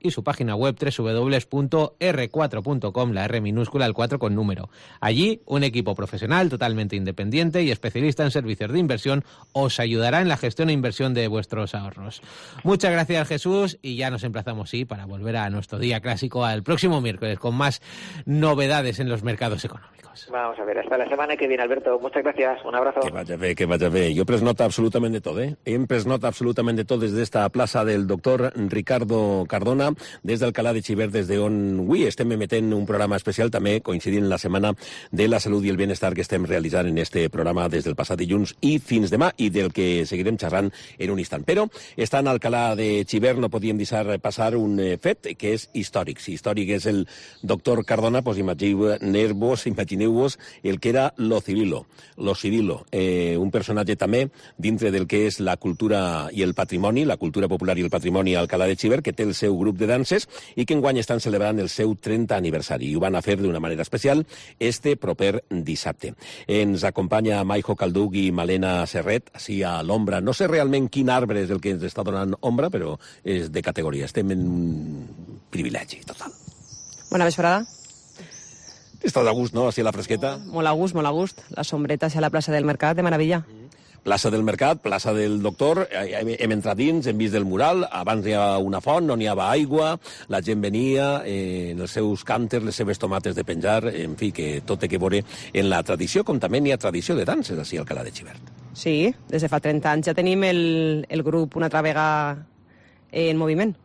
[SPEAKER 10] y su página web www.r4.com, la R minúscula, el 4 con número. Allí, un equipo profesional totalmente independiente y especialista en servicios de inversión os ayudará en la gestión e inversión de vuestros ahorros. Muchas gracias, Jesús, y ya nos emplazamos, sí, para volver a nuestro día clásico al próximo miércoles con más novedades en los mercados económicos.
[SPEAKER 11] Vamos a ver, hasta la semana que viene, Alberto. Muchas gracias, un abrazo.
[SPEAKER 3] Que vaya bé. Jo he pres nota absolutament de tot, Hem pres nota absolutament de tot des d'esta plaça del doctor Ricardo Cardona, des d'Alcalá de Xivert, des d'on avui estem emetent un programa especial, també coincidint en la Setmana de la Salut i el Benestar que estem realitzant en este programa des del passat dilluns i fins demà, i del que seguirem xerrant en un instant. Però, estant a Alcalá de Xivert, no podíem deixar passar un fet que és històric. Si històric és el doctor Cardona, doncs imagineu-vos el que era Lo Cirilo, un personatge també dintre del que és la cultura i el patrimoni, la cultura popular i el patrimoni a Alcalá de Xivert, que té el seu grup de danses i que enguany estan celebrant el seu 30 aniversari, i ho van a fer d'una manera especial este proper dissabte. Ens acompanya Maijo Calduc i Malena Serret, així a l'ombra. No sé realment quin arbre és el que ens està donant ombra, però és de categoria. Estem en un privilegi total.
[SPEAKER 12] Bona vesprada.
[SPEAKER 3] Estàs a gust, no?, així a la fresqueta?
[SPEAKER 12] Molt a gust, molt a gust. La sombreta hacia la plaça del Mercat, de meravella.
[SPEAKER 3] Plaça del Mercat, plaça del Doctor, hem entrat dins, hem vist el mural, abans hi ha una font, no n'hi havia aigua, la gent venia, en els seus cànters, les seves tomates de penjar, en fi, que tot té que veure en la tradició, com també n'hi ha tradició de danses, així al Alcalá de Xivert.
[SPEAKER 12] Sí, des de fa 30 anys ja tenim el grup Una altra vegada en moviment.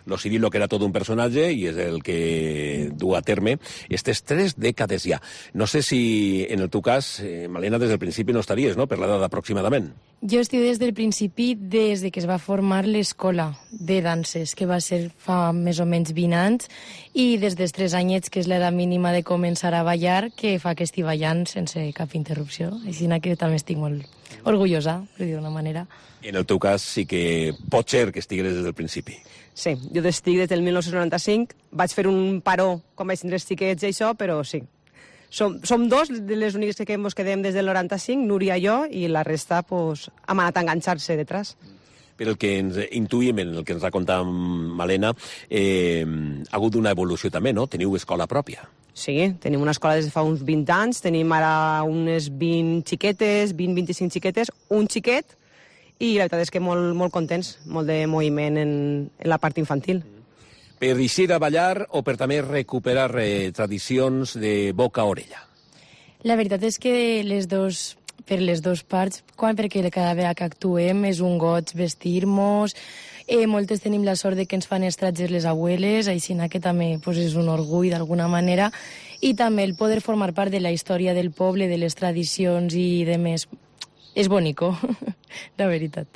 [SPEAKER 3] Lo Cirilo, que era tot un personatge, i és el que du a terme aquestes 3 dècades ja. No sé si, en el teu cas, Malena, des del principi no estaries, no?, per l'edat aproximadament.
[SPEAKER 13] Jo estic des del principi, des de que es va formar l'escola de danses, que va ser fa més o menys 20 anys, i des dels 3 anyets, que és l'edat mínima de començar a ballar, que fa que estic ballant sense cap interrupció. Així que també estic molt orgullosa, per dir d'una manera.
[SPEAKER 3] En el teu cas sí que pot ser que estigués des del principi.
[SPEAKER 12] Sí, jo estic des del 1995, vaig fer un paró quan vaig tindre els xiquets i això, però sí. Som 2 de les úniques que ens quedem des del 95, Núria i jo, i la resta pues, hem anat a enganxar-se detrás.
[SPEAKER 3] Per el que ens intuïm, el que ens ha contat Malena, ha hagut una evolució també, no? Teniu escola pròpia.
[SPEAKER 12] Sí, tenim una escola des de fa uns 20 anys, tenim ara unes 20 xiquetes, 20-25 xiquetes, un xiquet, i la veritat és que molt contents, molt de moviment en la part infantil.
[SPEAKER 3] Per eixir a ballar o per també recuperar tradicions de boca a orella?
[SPEAKER 13] La veritat és que per les dues parts, perquè cada vegada que actuem és un goig vestir-nos. Moltes tenim la sort de que ens fan estratges les abueles, així que també és un orgull d'alguna manera, i també el poder formar part de la història del poble, de les tradicions i de més. És bonico, la veritat.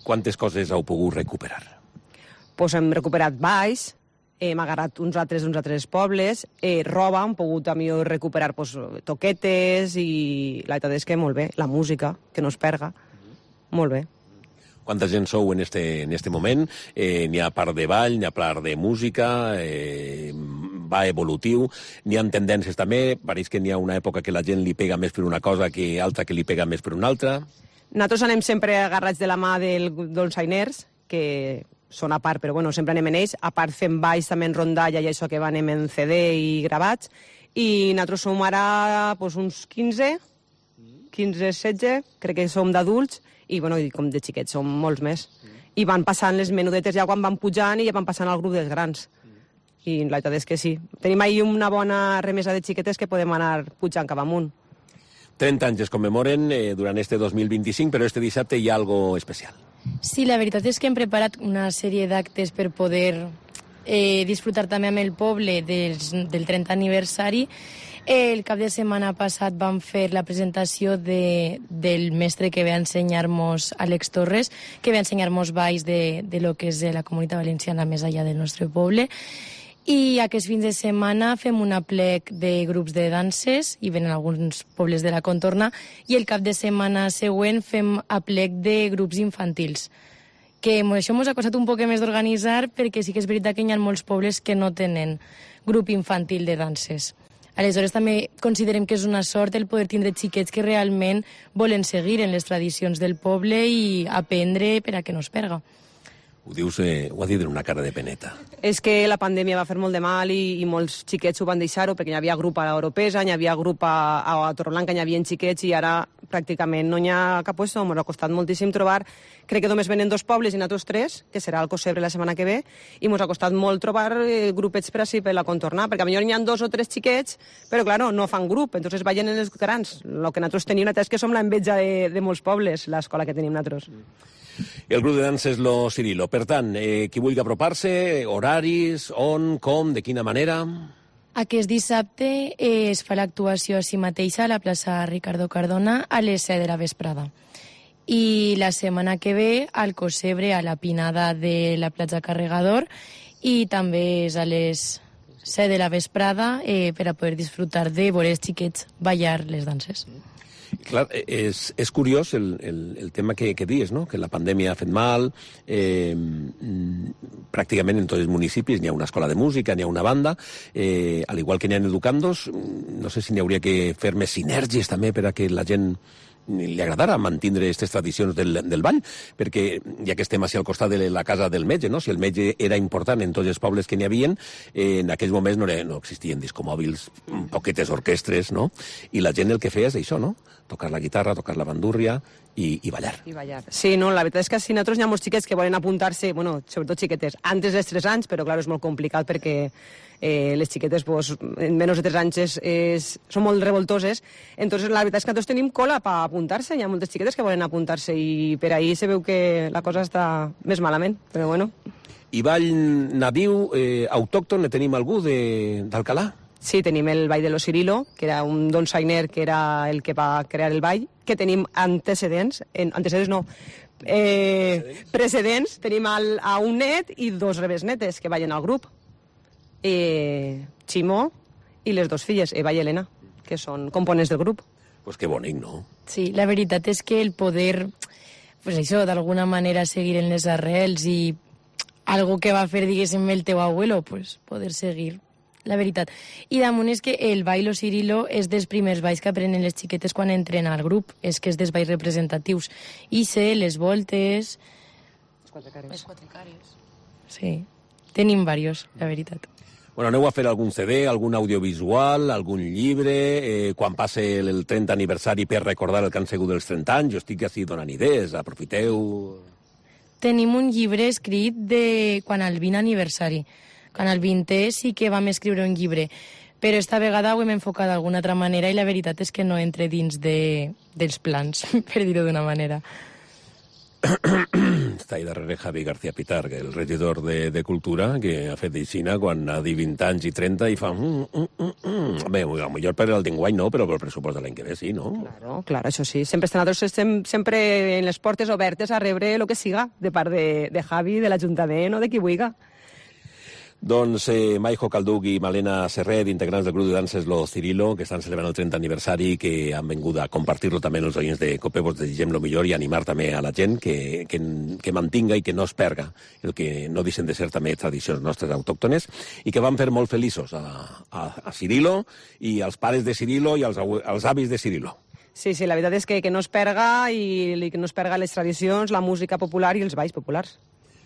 [SPEAKER 3] Quantes coses heu pogut recuperar?
[SPEAKER 12] Pues hem recuperat balls, hem agarrat uns altres pobles, roba, hem pogut recuperar toquetes, i la veritat és que molt bé, la música, que no es perga, molt bé.
[SPEAKER 3] Quanta gent sou en este moment? N'hi ha part de ball, n'hi ha part de música, va evolutiu, n'hi ha tendències també, pareix que n'hi ha una època que la gent li pega més per una cosa que altra que li pega més per una altra.
[SPEAKER 12] Nosaltres anem sempre agarrats de la mà dels Ainers, que són a part, però bueno, sempre anem en ells, a part fem balls també en rondalla i això que anem en CD i gravats, i nosaltres som ara uns 15-16, crec que som d'adults, i bueno, com de xiquets som molts més. I van passant les menudetes ja quan van pujant i ja van passant al grup dels grans. I la veritat és que sí. Tenim ahir una bona remesa de xiquetes que podem anar pujant cap amunt.
[SPEAKER 3] 30 anys es commemoren durant este 2025, però este dissabte hi ha algo especial.
[SPEAKER 13] Sí, la veritat és que hem preparat una sèrie d'actes per poder disfrutar també amb el poble del 30 aniversari. El cap de setmana passat vam fer la presentació del mestre que ve a ensenyar-nos, Àlex Torres, que ve a ensenyar-nos balls de lo que és la comunitat valenciana més allà del nostre poble. I aquests fins de setmana fem un aplec de grups de danses, i venen alguns pobles de la contorna, i el cap de setmana següent fem aplec de grups infantils. Que això ens ha costat un poc més d'organitzar, perquè sí que és veritat que hi ha molts pobles que no tenen grup infantil de danses. Aleshores també considerem que és una sort el poder tindre xiquets que realment volen seguir en les tradicions del poble i aprendre per a que no es perga.
[SPEAKER 3] Ho dius, ho ha dit en una cara de peneta.
[SPEAKER 12] És que la pandèmia va fer molt de mal i molts xiquets ho van deixar-ho, perquè hi havia grup a l'Europesa, hi havia grup a Torreblanca, hi havia xiquets, i ara pràcticament no hi ha cap puesto. Ens ha costat moltíssim trobar. Crec que només venen 2 pobles i nosaltres 3, que serà el Cosebre la setmana que ve, i ens ha costat molt trobar grupets per així per la contornar, perquè potser hi ha 2 o 3 xiquets, però claro, no fan grup, entonces ballen en els grans. El que nosaltres tenim és que som l'enveja de molts pobles, l'escola que tenim nosaltres.
[SPEAKER 3] El grup de danses Lo Cirilo. Per tant, qui vulgui apropar-se, horaris, on, com, de quina manera?
[SPEAKER 13] Aquest dissabte es fa l'actuació així mateixa a la plaça Ricardo Cardona a les 7 de la vesprada. I la setmana que ve al Cosebre, a la Pinada de la platja Carregador, i també és a les 7 de la vesprada per a poder disfrutar de veure els xiquets ballar les danses.
[SPEAKER 3] Clar, és curiós el tema que dius, no? Que la pandèmia ha fet mal, pràcticament en tots els municipis n'hi ha una escola de música, n'hi ha una banda, al igual que n'hi ha educandos, no sé si n'hi hauria que fer més sinergies també per a que la gent li agradara mantindre aquestes tradicions del ball, perquè ja que estem al costat de la casa del metge, no? Si el metge era important en tots els pobles que n'hi havia, en aquells moments no existien discomòbils, poquetes orquestres, no? I la gent el que feia és això, no? Tocar la guitarra, tocar la bandúrria i ballar.
[SPEAKER 12] I ballar. Sí, no, la veritat és que si nosaltres hi ha molts xiquets que volen apuntar-se, bueno, sobretot xiquetes, antes dels 3 anys, però clar, és molt complicat perquè les xiquetes en menys de 3 anys són molt revoltoses. Entonces la veritat és que nosaltres tenim cola per apuntar-se, hi ha moltes xiquetes que volen apuntar-se i per ahí se veu que la cosa està més malament, però bueno.
[SPEAKER 3] I ball nadiu, autòcton, ne tenim algú d'Alcalà?
[SPEAKER 12] Sí, tenim el ball de Lo Cirilo, que era un donsainer que era el que va crear el ball, que tenim precedents, tenim a un net i 2 rebesnetes que ballen al grup. Ximó i les 2 filles, Eva i Helena, que són components del grup.
[SPEAKER 3] Pues que bonic, no?
[SPEAKER 13] Sí, la veritat és que el poder, pues això, d'alguna manera seguir en les arrels i algo que va fer, diguéssim, el teu abuelo, pues poder seguir, la veritat. I damunt és que el ball Lo Cirilo és dels primers balls que aprenen les xiquetes quan entren al grup, és que és dels balls representatius. I sé, les voltes,
[SPEAKER 12] quatre cares.
[SPEAKER 13] Sí, tenim diversos, la veritat.
[SPEAKER 3] Bueno, aneu a fer algun CD, algun audiovisual, algun llibre, quan passe el 30 aniversari per recordar el que han sigut els 30 anys, jo estic així donant idees, aprofiteu...
[SPEAKER 13] Tenim un llibre escrit de quan el 20 aniversari. Quan el 20è sí que vam escriure un llibre, però esta vegada ho hem enfocat d'alguna altra manera i la veritat és que no entre dins dels plans, per dir-ho d'una manera.
[SPEAKER 3] Està ahí darrere Javi García Pitar, el regidor de Cultura, que ha fet d'Ixina quan ha dit 20 anys i 30 i fa... Bé, potser per el d'enguany no, però per el pressupost de l'any que ve sí, no?
[SPEAKER 12] Claro, això sí. Sempre estem sempre en les portes obertes a rebre el que siga de part de Javi, de l'Ajuntament o de qui vulgui.
[SPEAKER 3] Doncs Maijo Calduc i Malena Serret, integrants del grup de danses Lo Cirilo, que estan celebrant el 30 aniversari, que han vingut a compartir-lo també amb els oients de COPE, vos desitgem lo millor i animar també a la gent que mantinga i que no es perga el que no deixen de ser també tradicions nostres autòctones i que van fer molt feliços a Cirilo i als pares de Cirilo i als avis de Cirilo.
[SPEAKER 12] Sí, la veritat és que no es perga i que no es perga les tradicions, la música popular i els balls populars.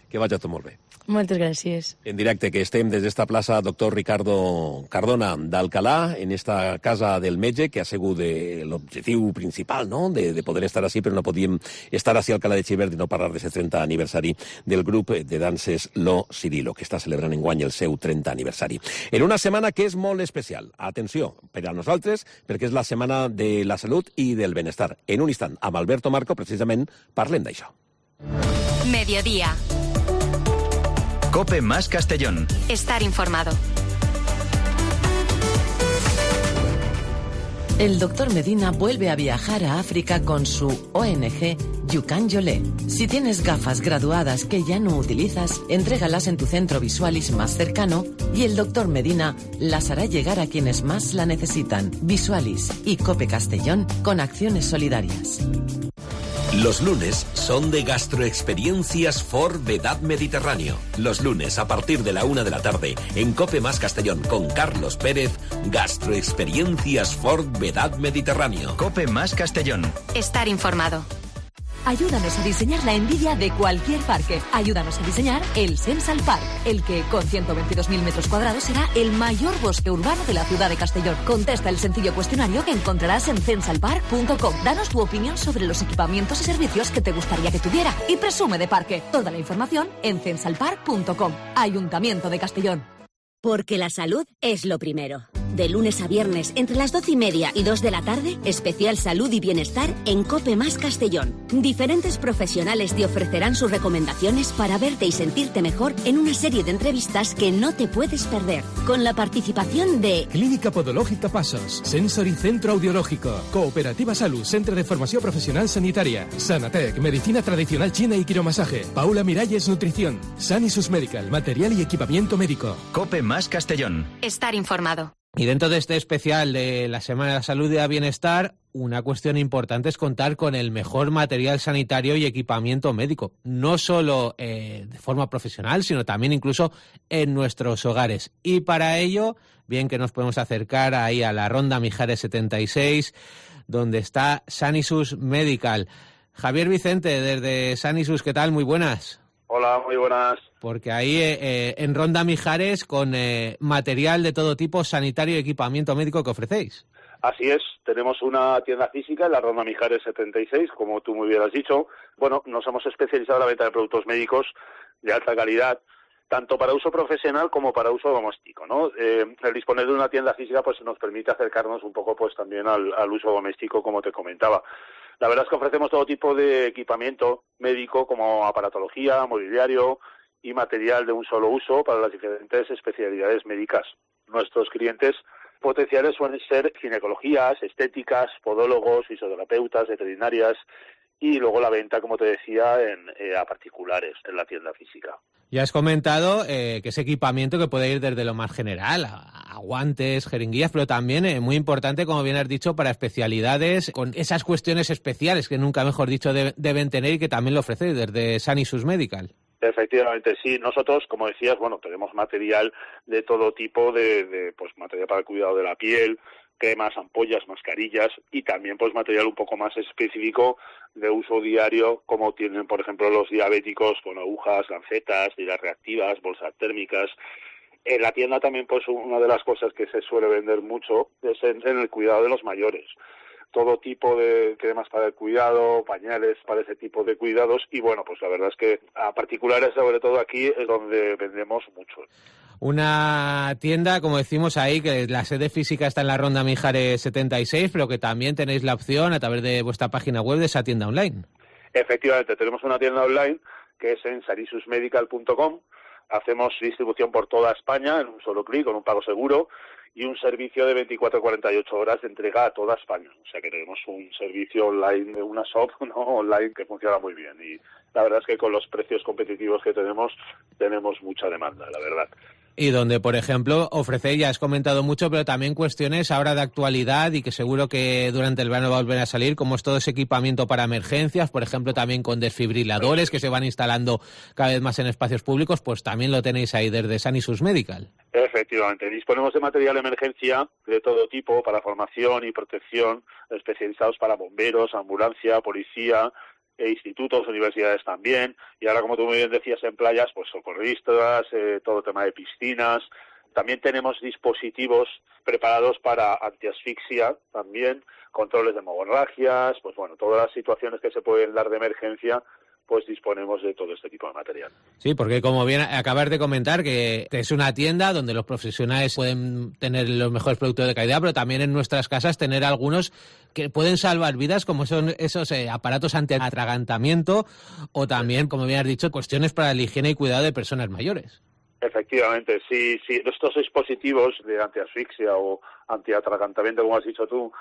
[SPEAKER 3] Que vagi tot molt bé.
[SPEAKER 13] Moltes gràcies.
[SPEAKER 3] En directe, que estem des d'esta plaça Doctor Ricardo Cardona d'Alcalá, en esta casa del metge, que ha sigut l'objectiu principal, no?, de poder estar així, però no podíem estar així a Alcalá de Xivert i no parlar d'aquest 30 aniversari del grup de danses Lo Cirilo, que està celebrant enguany el seu 30 aniversari. En una setmana que és molt especial. Atenció, per a nosaltres, perquè és la setmana de la salut i del benestar. En un instant, amb Alberto Marco, precisament, parlem d'això.
[SPEAKER 1] Mediodía.
[SPEAKER 2] COPE más Castellón.
[SPEAKER 1] Estar informado.
[SPEAKER 14] El doctor Medina vuelve a viajar a África con su ONG Yukan Yolé. Si tienes gafas graduadas que ya no utilizas, entrégalas en tu centro Visualis más cercano y el doctor Medina las hará llegar a quienes más la necesitan. Visualis y COPE Castellón con acciones solidarias.
[SPEAKER 15] Los lunes son de Gastroexperiencias for Vedad Mediterráneo. Los lunes a partir de la 1 de la tarde en COPE más Castellón con Carlos Pérez, Gastroexperiencias for Vedad Mediterráneo.
[SPEAKER 2] COPE más Castellón.
[SPEAKER 1] Estar informado.
[SPEAKER 16] Ayúdanos a diseñar la envidia de cualquier parque. Ayúdanos a diseñar el Sensal Park, el que, con 122.000 metros cuadrados, será el mayor bosque urbano de la ciudad de Castellón. Contesta el sencillo cuestionario que encontrarás en censalpark.com. Danos tu opinión sobre los equipamientos y servicios que te gustaría que tuviera y presume de parque. Toda la información en censalpark.com. Ayuntamiento de Castellón.
[SPEAKER 17] Porque la salud es lo primero. De lunes a viernes, entre las 12:30 y 2 de la tarde, especial salud y bienestar en COPE más Castellón. Diferentes profesionales te ofrecerán sus recomendaciones para verte y sentirte mejor en una serie de entrevistas que no te puedes perder. Con la participación de
[SPEAKER 18] Clínica Podológica Pasos, Sensory Centro Audiológico, Cooperativa Salud, Centre de Formació Profesional Sanitària, Sanatec, Medicina Tradicional China y Quiromasaje, Paula Miralles Nutrición, Sanisus Medical, Material y Equipamiento Médico.
[SPEAKER 2] COPE más Castellón.
[SPEAKER 1] Estar informado.
[SPEAKER 10] Y dentro de este especial de la Semana de la Salud y el Bienestar, una cuestión importante es contar con el mejor material sanitario y equipamiento médico, no solo de forma profesional, sino también incluso en nuestros hogares. Y para ello, bien que nos podemos acercar ahí a la Ronda Mijares 76, donde está Sanisus Medical. Javier Vicente, desde Sanisus, ¿qué tal? Muy buenas.
[SPEAKER 19] Hola, muy buenas.
[SPEAKER 10] Porque ahí en Ronda Mijares con material de todo tipo sanitario y equipamiento médico que ofrecéis.
[SPEAKER 19] Así es, tenemos una tienda física en la Ronda Mijares 76, como tú muy bien has dicho. Bueno, nos hemos especializado en la venta de productos médicos de alta calidad, tanto para uso profesional como para uso doméstico, ¿no? El disponer de una tienda física pues nos permite acercarnos un poco pues también al uso doméstico, como te comentaba. La verdad es que ofrecemos todo tipo de equipamiento médico como aparatología, mobiliario y material de un solo uso para las diferentes especialidades médicas. Nuestros clientes potenciales suelen ser ginecologías, estéticas, podólogos, fisioterapeutas, veterinarias y luego la venta, como te decía, a particulares en la tienda física.
[SPEAKER 10] Ya has comentado que es equipamiento que puede ir desde lo más general, a guantes, jeringuillas, pero también muy importante, como bien has dicho, para especialidades con esas cuestiones especiales que nunca mejor dicho deben tener y que también lo ofrecéis desde Sanisus Medical.
[SPEAKER 19] Efectivamente, sí. Nosotros, como decías, bueno, tenemos material de todo tipo, pues material para el cuidado de la piel, cremas, ampollas, mascarillas y también pues material un poco más específico de uso diario, como tienen por ejemplo los diabéticos, con agujas, lancetas, tiras reactivas, bolsas térmicas. En la tienda también pues una de las cosas que se suele vender mucho es en el cuidado de los mayores. Todo tipo de cremas para el cuidado, pañales para ese tipo de cuidados y bueno, pues la verdad es que a particulares sobre todo aquí es donde vendemos mucho.
[SPEAKER 10] Una tienda, como decimos ahí, que la sede física está en la Ronda Mijares 76, pero que también tenéis la opción a través de vuestra página web de esa tienda online.
[SPEAKER 19] Efectivamente, tenemos una tienda online que es en sanisusmedical.com. Hacemos distribución por toda España en un solo clic, con un pago seguro, y un servicio de 24-48 horas de entrega a toda España. O sea que tenemos un servicio online de una shop, ¿no?, online que funciona muy bien. Y la verdad es que con los precios competitivos que tenemos mucha demanda, la verdad.
[SPEAKER 10] Y donde, por ejemplo, ofrecéis, ya has comentado mucho, pero también cuestiones ahora de actualidad y que seguro que durante el verano va a volver a salir, como es todo ese equipamiento para emergencias, por ejemplo, también con desfibriladores que se van instalando cada vez más en espacios públicos, pues también lo tenéis ahí desde Sanisus Medical.
[SPEAKER 19] Efectivamente, disponemos de material de emergencia de todo tipo para formación y protección, especializados para bomberos, ambulancia, policía, institutos, universidades también, y ahora, como tú muy bien decías, en playas, pues socorristas, todo tema de piscinas. También tenemos dispositivos preparados para antiasfixia también, controles de hemorragias, pues bueno, todas las situaciones que se pueden dar de emergencia, pues disponemos de todo este tipo de material.
[SPEAKER 10] Sí, porque como bien acabas de comentar, que es una tienda donde los profesionales pueden tener los mejores productos de calidad, pero también en nuestras casas tener algunos que pueden salvar vidas, como son esos aparatos antiatragantamiento o también, como bien has dicho, cuestiones para la higiene y cuidado de personas mayores.
[SPEAKER 19] Efectivamente, sí, estos dispositivos de antiasfixia o antiatragantamiento, como has dicho tú,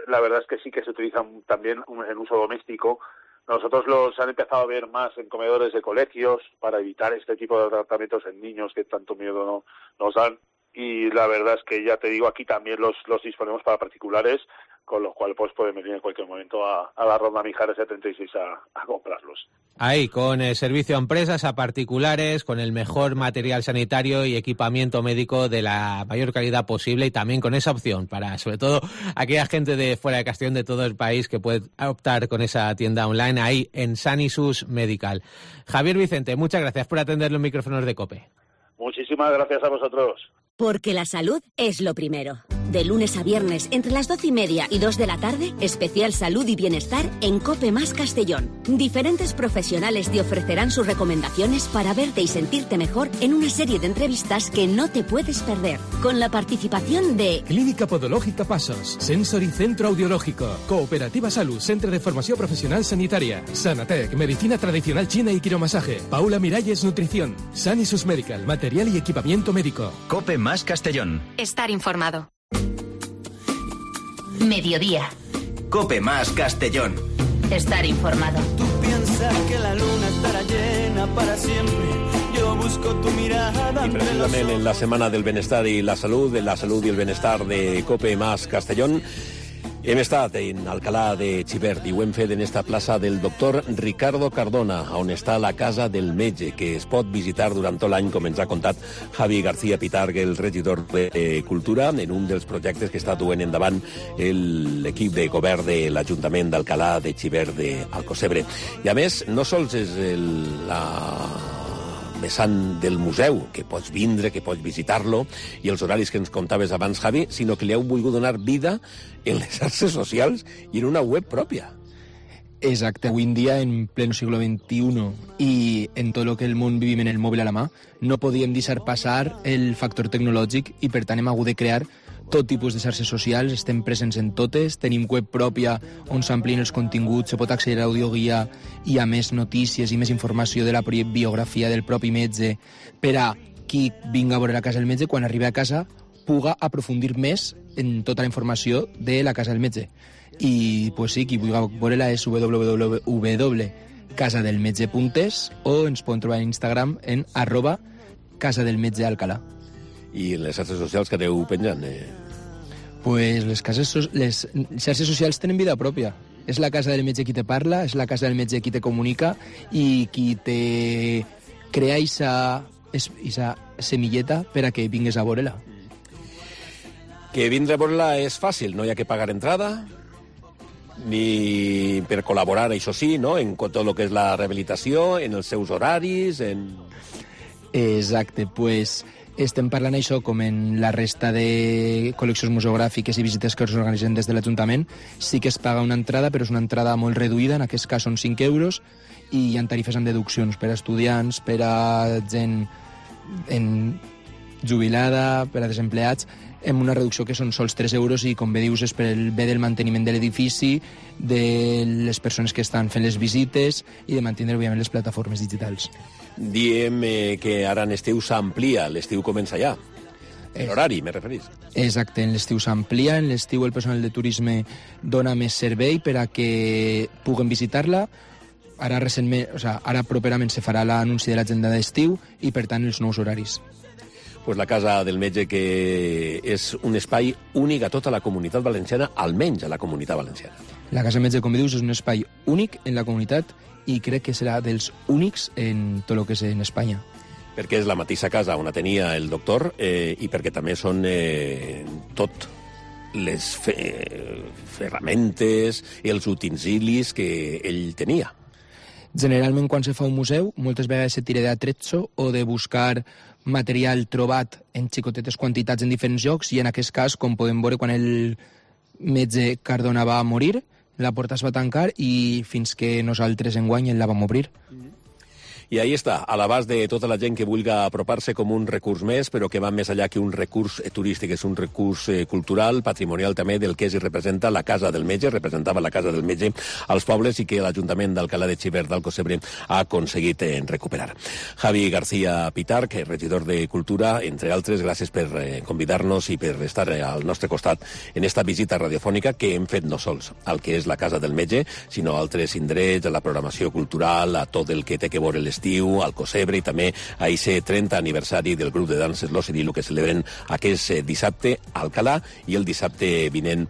[SPEAKER 19] la verdad es que sí que se utilizan también en uso doméstico. Nosotros los han empezado a ver más en comedores de colegios para evitar este tipo de tratamientos en niños que tanto miedo nos dan. Y la verdad es que, ya te digo, aquí también los disponemos para particulares, con lo cual pues pueden venir en cualquier momento a la Ronda Mijares 76 a comprarlos.
[SPEAKER 10] Ahí, con el servicio a empresas, a particulares, con el mejor material sanitario y equipamiento médico de la mayor calidad posible, y también con esa opción para, sobre todo, aquella gente de fuera de Castellón, de todo el país, que puede optar con esa tienda online ahí en Sanisus Medical. Javier Vicente, muchas gracias por atender los micrófonos de COPE.
[SPEAKER 19] Muchísimas gracias a vosotros.
[SPEAKER 16] Porque la salud es lo primero. De lunes a viernes, entre las 12:30 y 2 de la tarde, especial salud y bienestar en COPE Más Castellón. Diferentes profesionales te ofrecerán sus recomendaciones para verte y sentirte mejor en una serie de entrevistas que no te puedes perder. Con la participación de
[SPEAKER 18] Clínica Podológica Pasos, Sensory Centro Audiológico, Cooperativa Salud, Centre de Formació Professional Sanitària, Sanatec, Medicina Tradicional China y Quiromasaje, Paula Miralles Nutrición, Sanisus Medical, Material y Equipamiento Médico.
[SPEAKER 2] COPE Más Castellón.
[SPEAKER 1] Estar informado.
[SPEAKER 16] Mediodía.
[SPEAKER 2] COPE Más Castellón.
[SPEAKER 16] Estar informado.
[SPEAKER 7] Tú piensas que la luna estará llena para siempre. Yo busco tu mirada.
[SPEAKER 3] Y precisamente en la Setmana del Benestar i la Salut i el Benestar de COPE Más Castellón, hem estat en Alcalà de Xivert i ho hem fet en esta plaça del doctor Ricardo Cardona, on està la Casa del Metge, que es pot visitar durant tot l'any, com ens ha contat Javi García Pitargue, el regidor de Cultura, en un dels projectes que està duent endavant l'equip de govern de l'Ajuntament d'Alcalà de Xivert d'Alcocebre. I a més, no sols és la vessant del museu, que pots vindre, que pots visitar-lo, i els horaris que ens contaves abans, Javi, sinó que li heu volgut donar vida en les xarxes socials i en una web pròpia.
[SPEAKER 20] Exacte. Avui en dia, en pleno siglo XXI i en tot el que el món vivim en el mòbil a la mà, no podíem deixar passar el factor tecnològic i, per tant, hem hagut de crear tot tipus de xarxes socials, estem presents en totes, tenim web pròpia on s'amplien els continguts, se pot accedir a l'audioguia i a més notícies i més informació de la biografia del propi metge per a qui vinga a veure la casa del metge, quan arribi a casa puga aprofundir més en tota la informació de la casa del metge. I pues sí, qui vulgui veure-la és www.casadelmetge.es o ens poden trobar en Instagram en @casadelmetgealcalà.
[SPEAKER 3] I les xarxes socials que teniu penjant?
[SPEAKER 20] Pues les xarxes socials tenen vida pròpia. És la casa del metge qui te parla, és la casa del metge qui te comunica i qui te crea aquesta semilleta per a que vingues a veure-la.
[SPEAKER 3] Que vindre a veure-la és fàcil, no hi ha que pagar entrada, ni per col·laborar, això sí, no? En tot el que és la rehabilitació, en els seus horaris, en...
[SPEAKER 20] Exacte, pues estem parlant això com en la resta de col·leccions museogràfiques i visites que s'organitzen des de l'Ajuntament. Sí que es paga una entrada, però és una entrada molt reduïda, en aquest cas són 5 euros, i hi ha tarifes amb deduccions per a estudiants, per a gent jubilada, per a desempleats, amb una reducció que són sols 3 euros i, com bé dius, és per el bé del manteniment de l'edifici, de les persones que estan fent les visites i de mantenir, òbviament, les plataformes digitals.
[SPEAKER 3] Diem que ara en estiu s'amplia, l'estiu comença ja. L'horari, me referís.
[SPEAKER 20] Exacte, en l'estiu s'amplia, en l'estiu el personal de turisme dona més servei per a que puguen visitar-la. Ara recentment, ara properament se farà l'anunci de l'agenda d'estiu i, per tant, els nous horaris.
[SPEAKER 3] Pues la Casa del Metge, que és un espai únic a tota la comunitat valenciana, almenys a la comunitat valenciana.
[SPEAKER 20] La Casa del Metge, com dius, és un espai únic en la comunitat i crec que serà dels únics en tot el que és en Espanya.
[SPEAKER 3] Perquè és la mateixa casa on tenia el doctor i perquè també són tot les ferramentes i els utensilis que ell tenia.
[SPEAKER 20] Generalment, quan se fa un museu, moltes vegades se tira d'atrezzo o de buscar material trobat en xicotetes quantitats en diferents llocs, i en aquest cas, com podem veure, quan el metge Cardona va morir, la porta es va tancar i fins que nosaltres enguany la vam obrir.
[SPEAKER 3] I ahí està, a l'abast de tota la gent que vulgui apropar-se com un recurs més, però que va més allà que un recurs turístic, és un recurs cultural, patrimonial també, del que es representa la Casa del Metge, representava la Casa del Metge als pobles i que l'Ajuntament d'Alcalá de Xivert d'Alcocebre ha aconseguit recuperar. Javi García Pitarch, regidor de Cultura, entre altres, gràcies per convidar-nos i per estar al nostre costat en esta visita radiofònica que hem fet no sols al que és la Casa del Metge, sinó a altres indrets, a la programació cultural, a tot el que té que veure l'estiu, al Cosebre i també a aquest 30 aniversari del grup de danses Lo Cirilo que celebren aquest dissabte a Alcalá i el dissabte vinent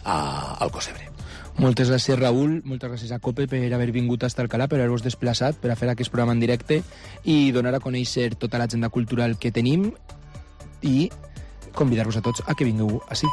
[SPEAKER 3] a Alcocebre.
[SPEAKER 20] Moltes gràcies, Raül, moltes gràcies a COPE per haver vingut fins a Alcalá, per haver-vos desplaçat, per a fer aquest programa en directe i donar a conèixer tota l'agenda cultural que tenim i convidar-vos a tots a que vingueu ací.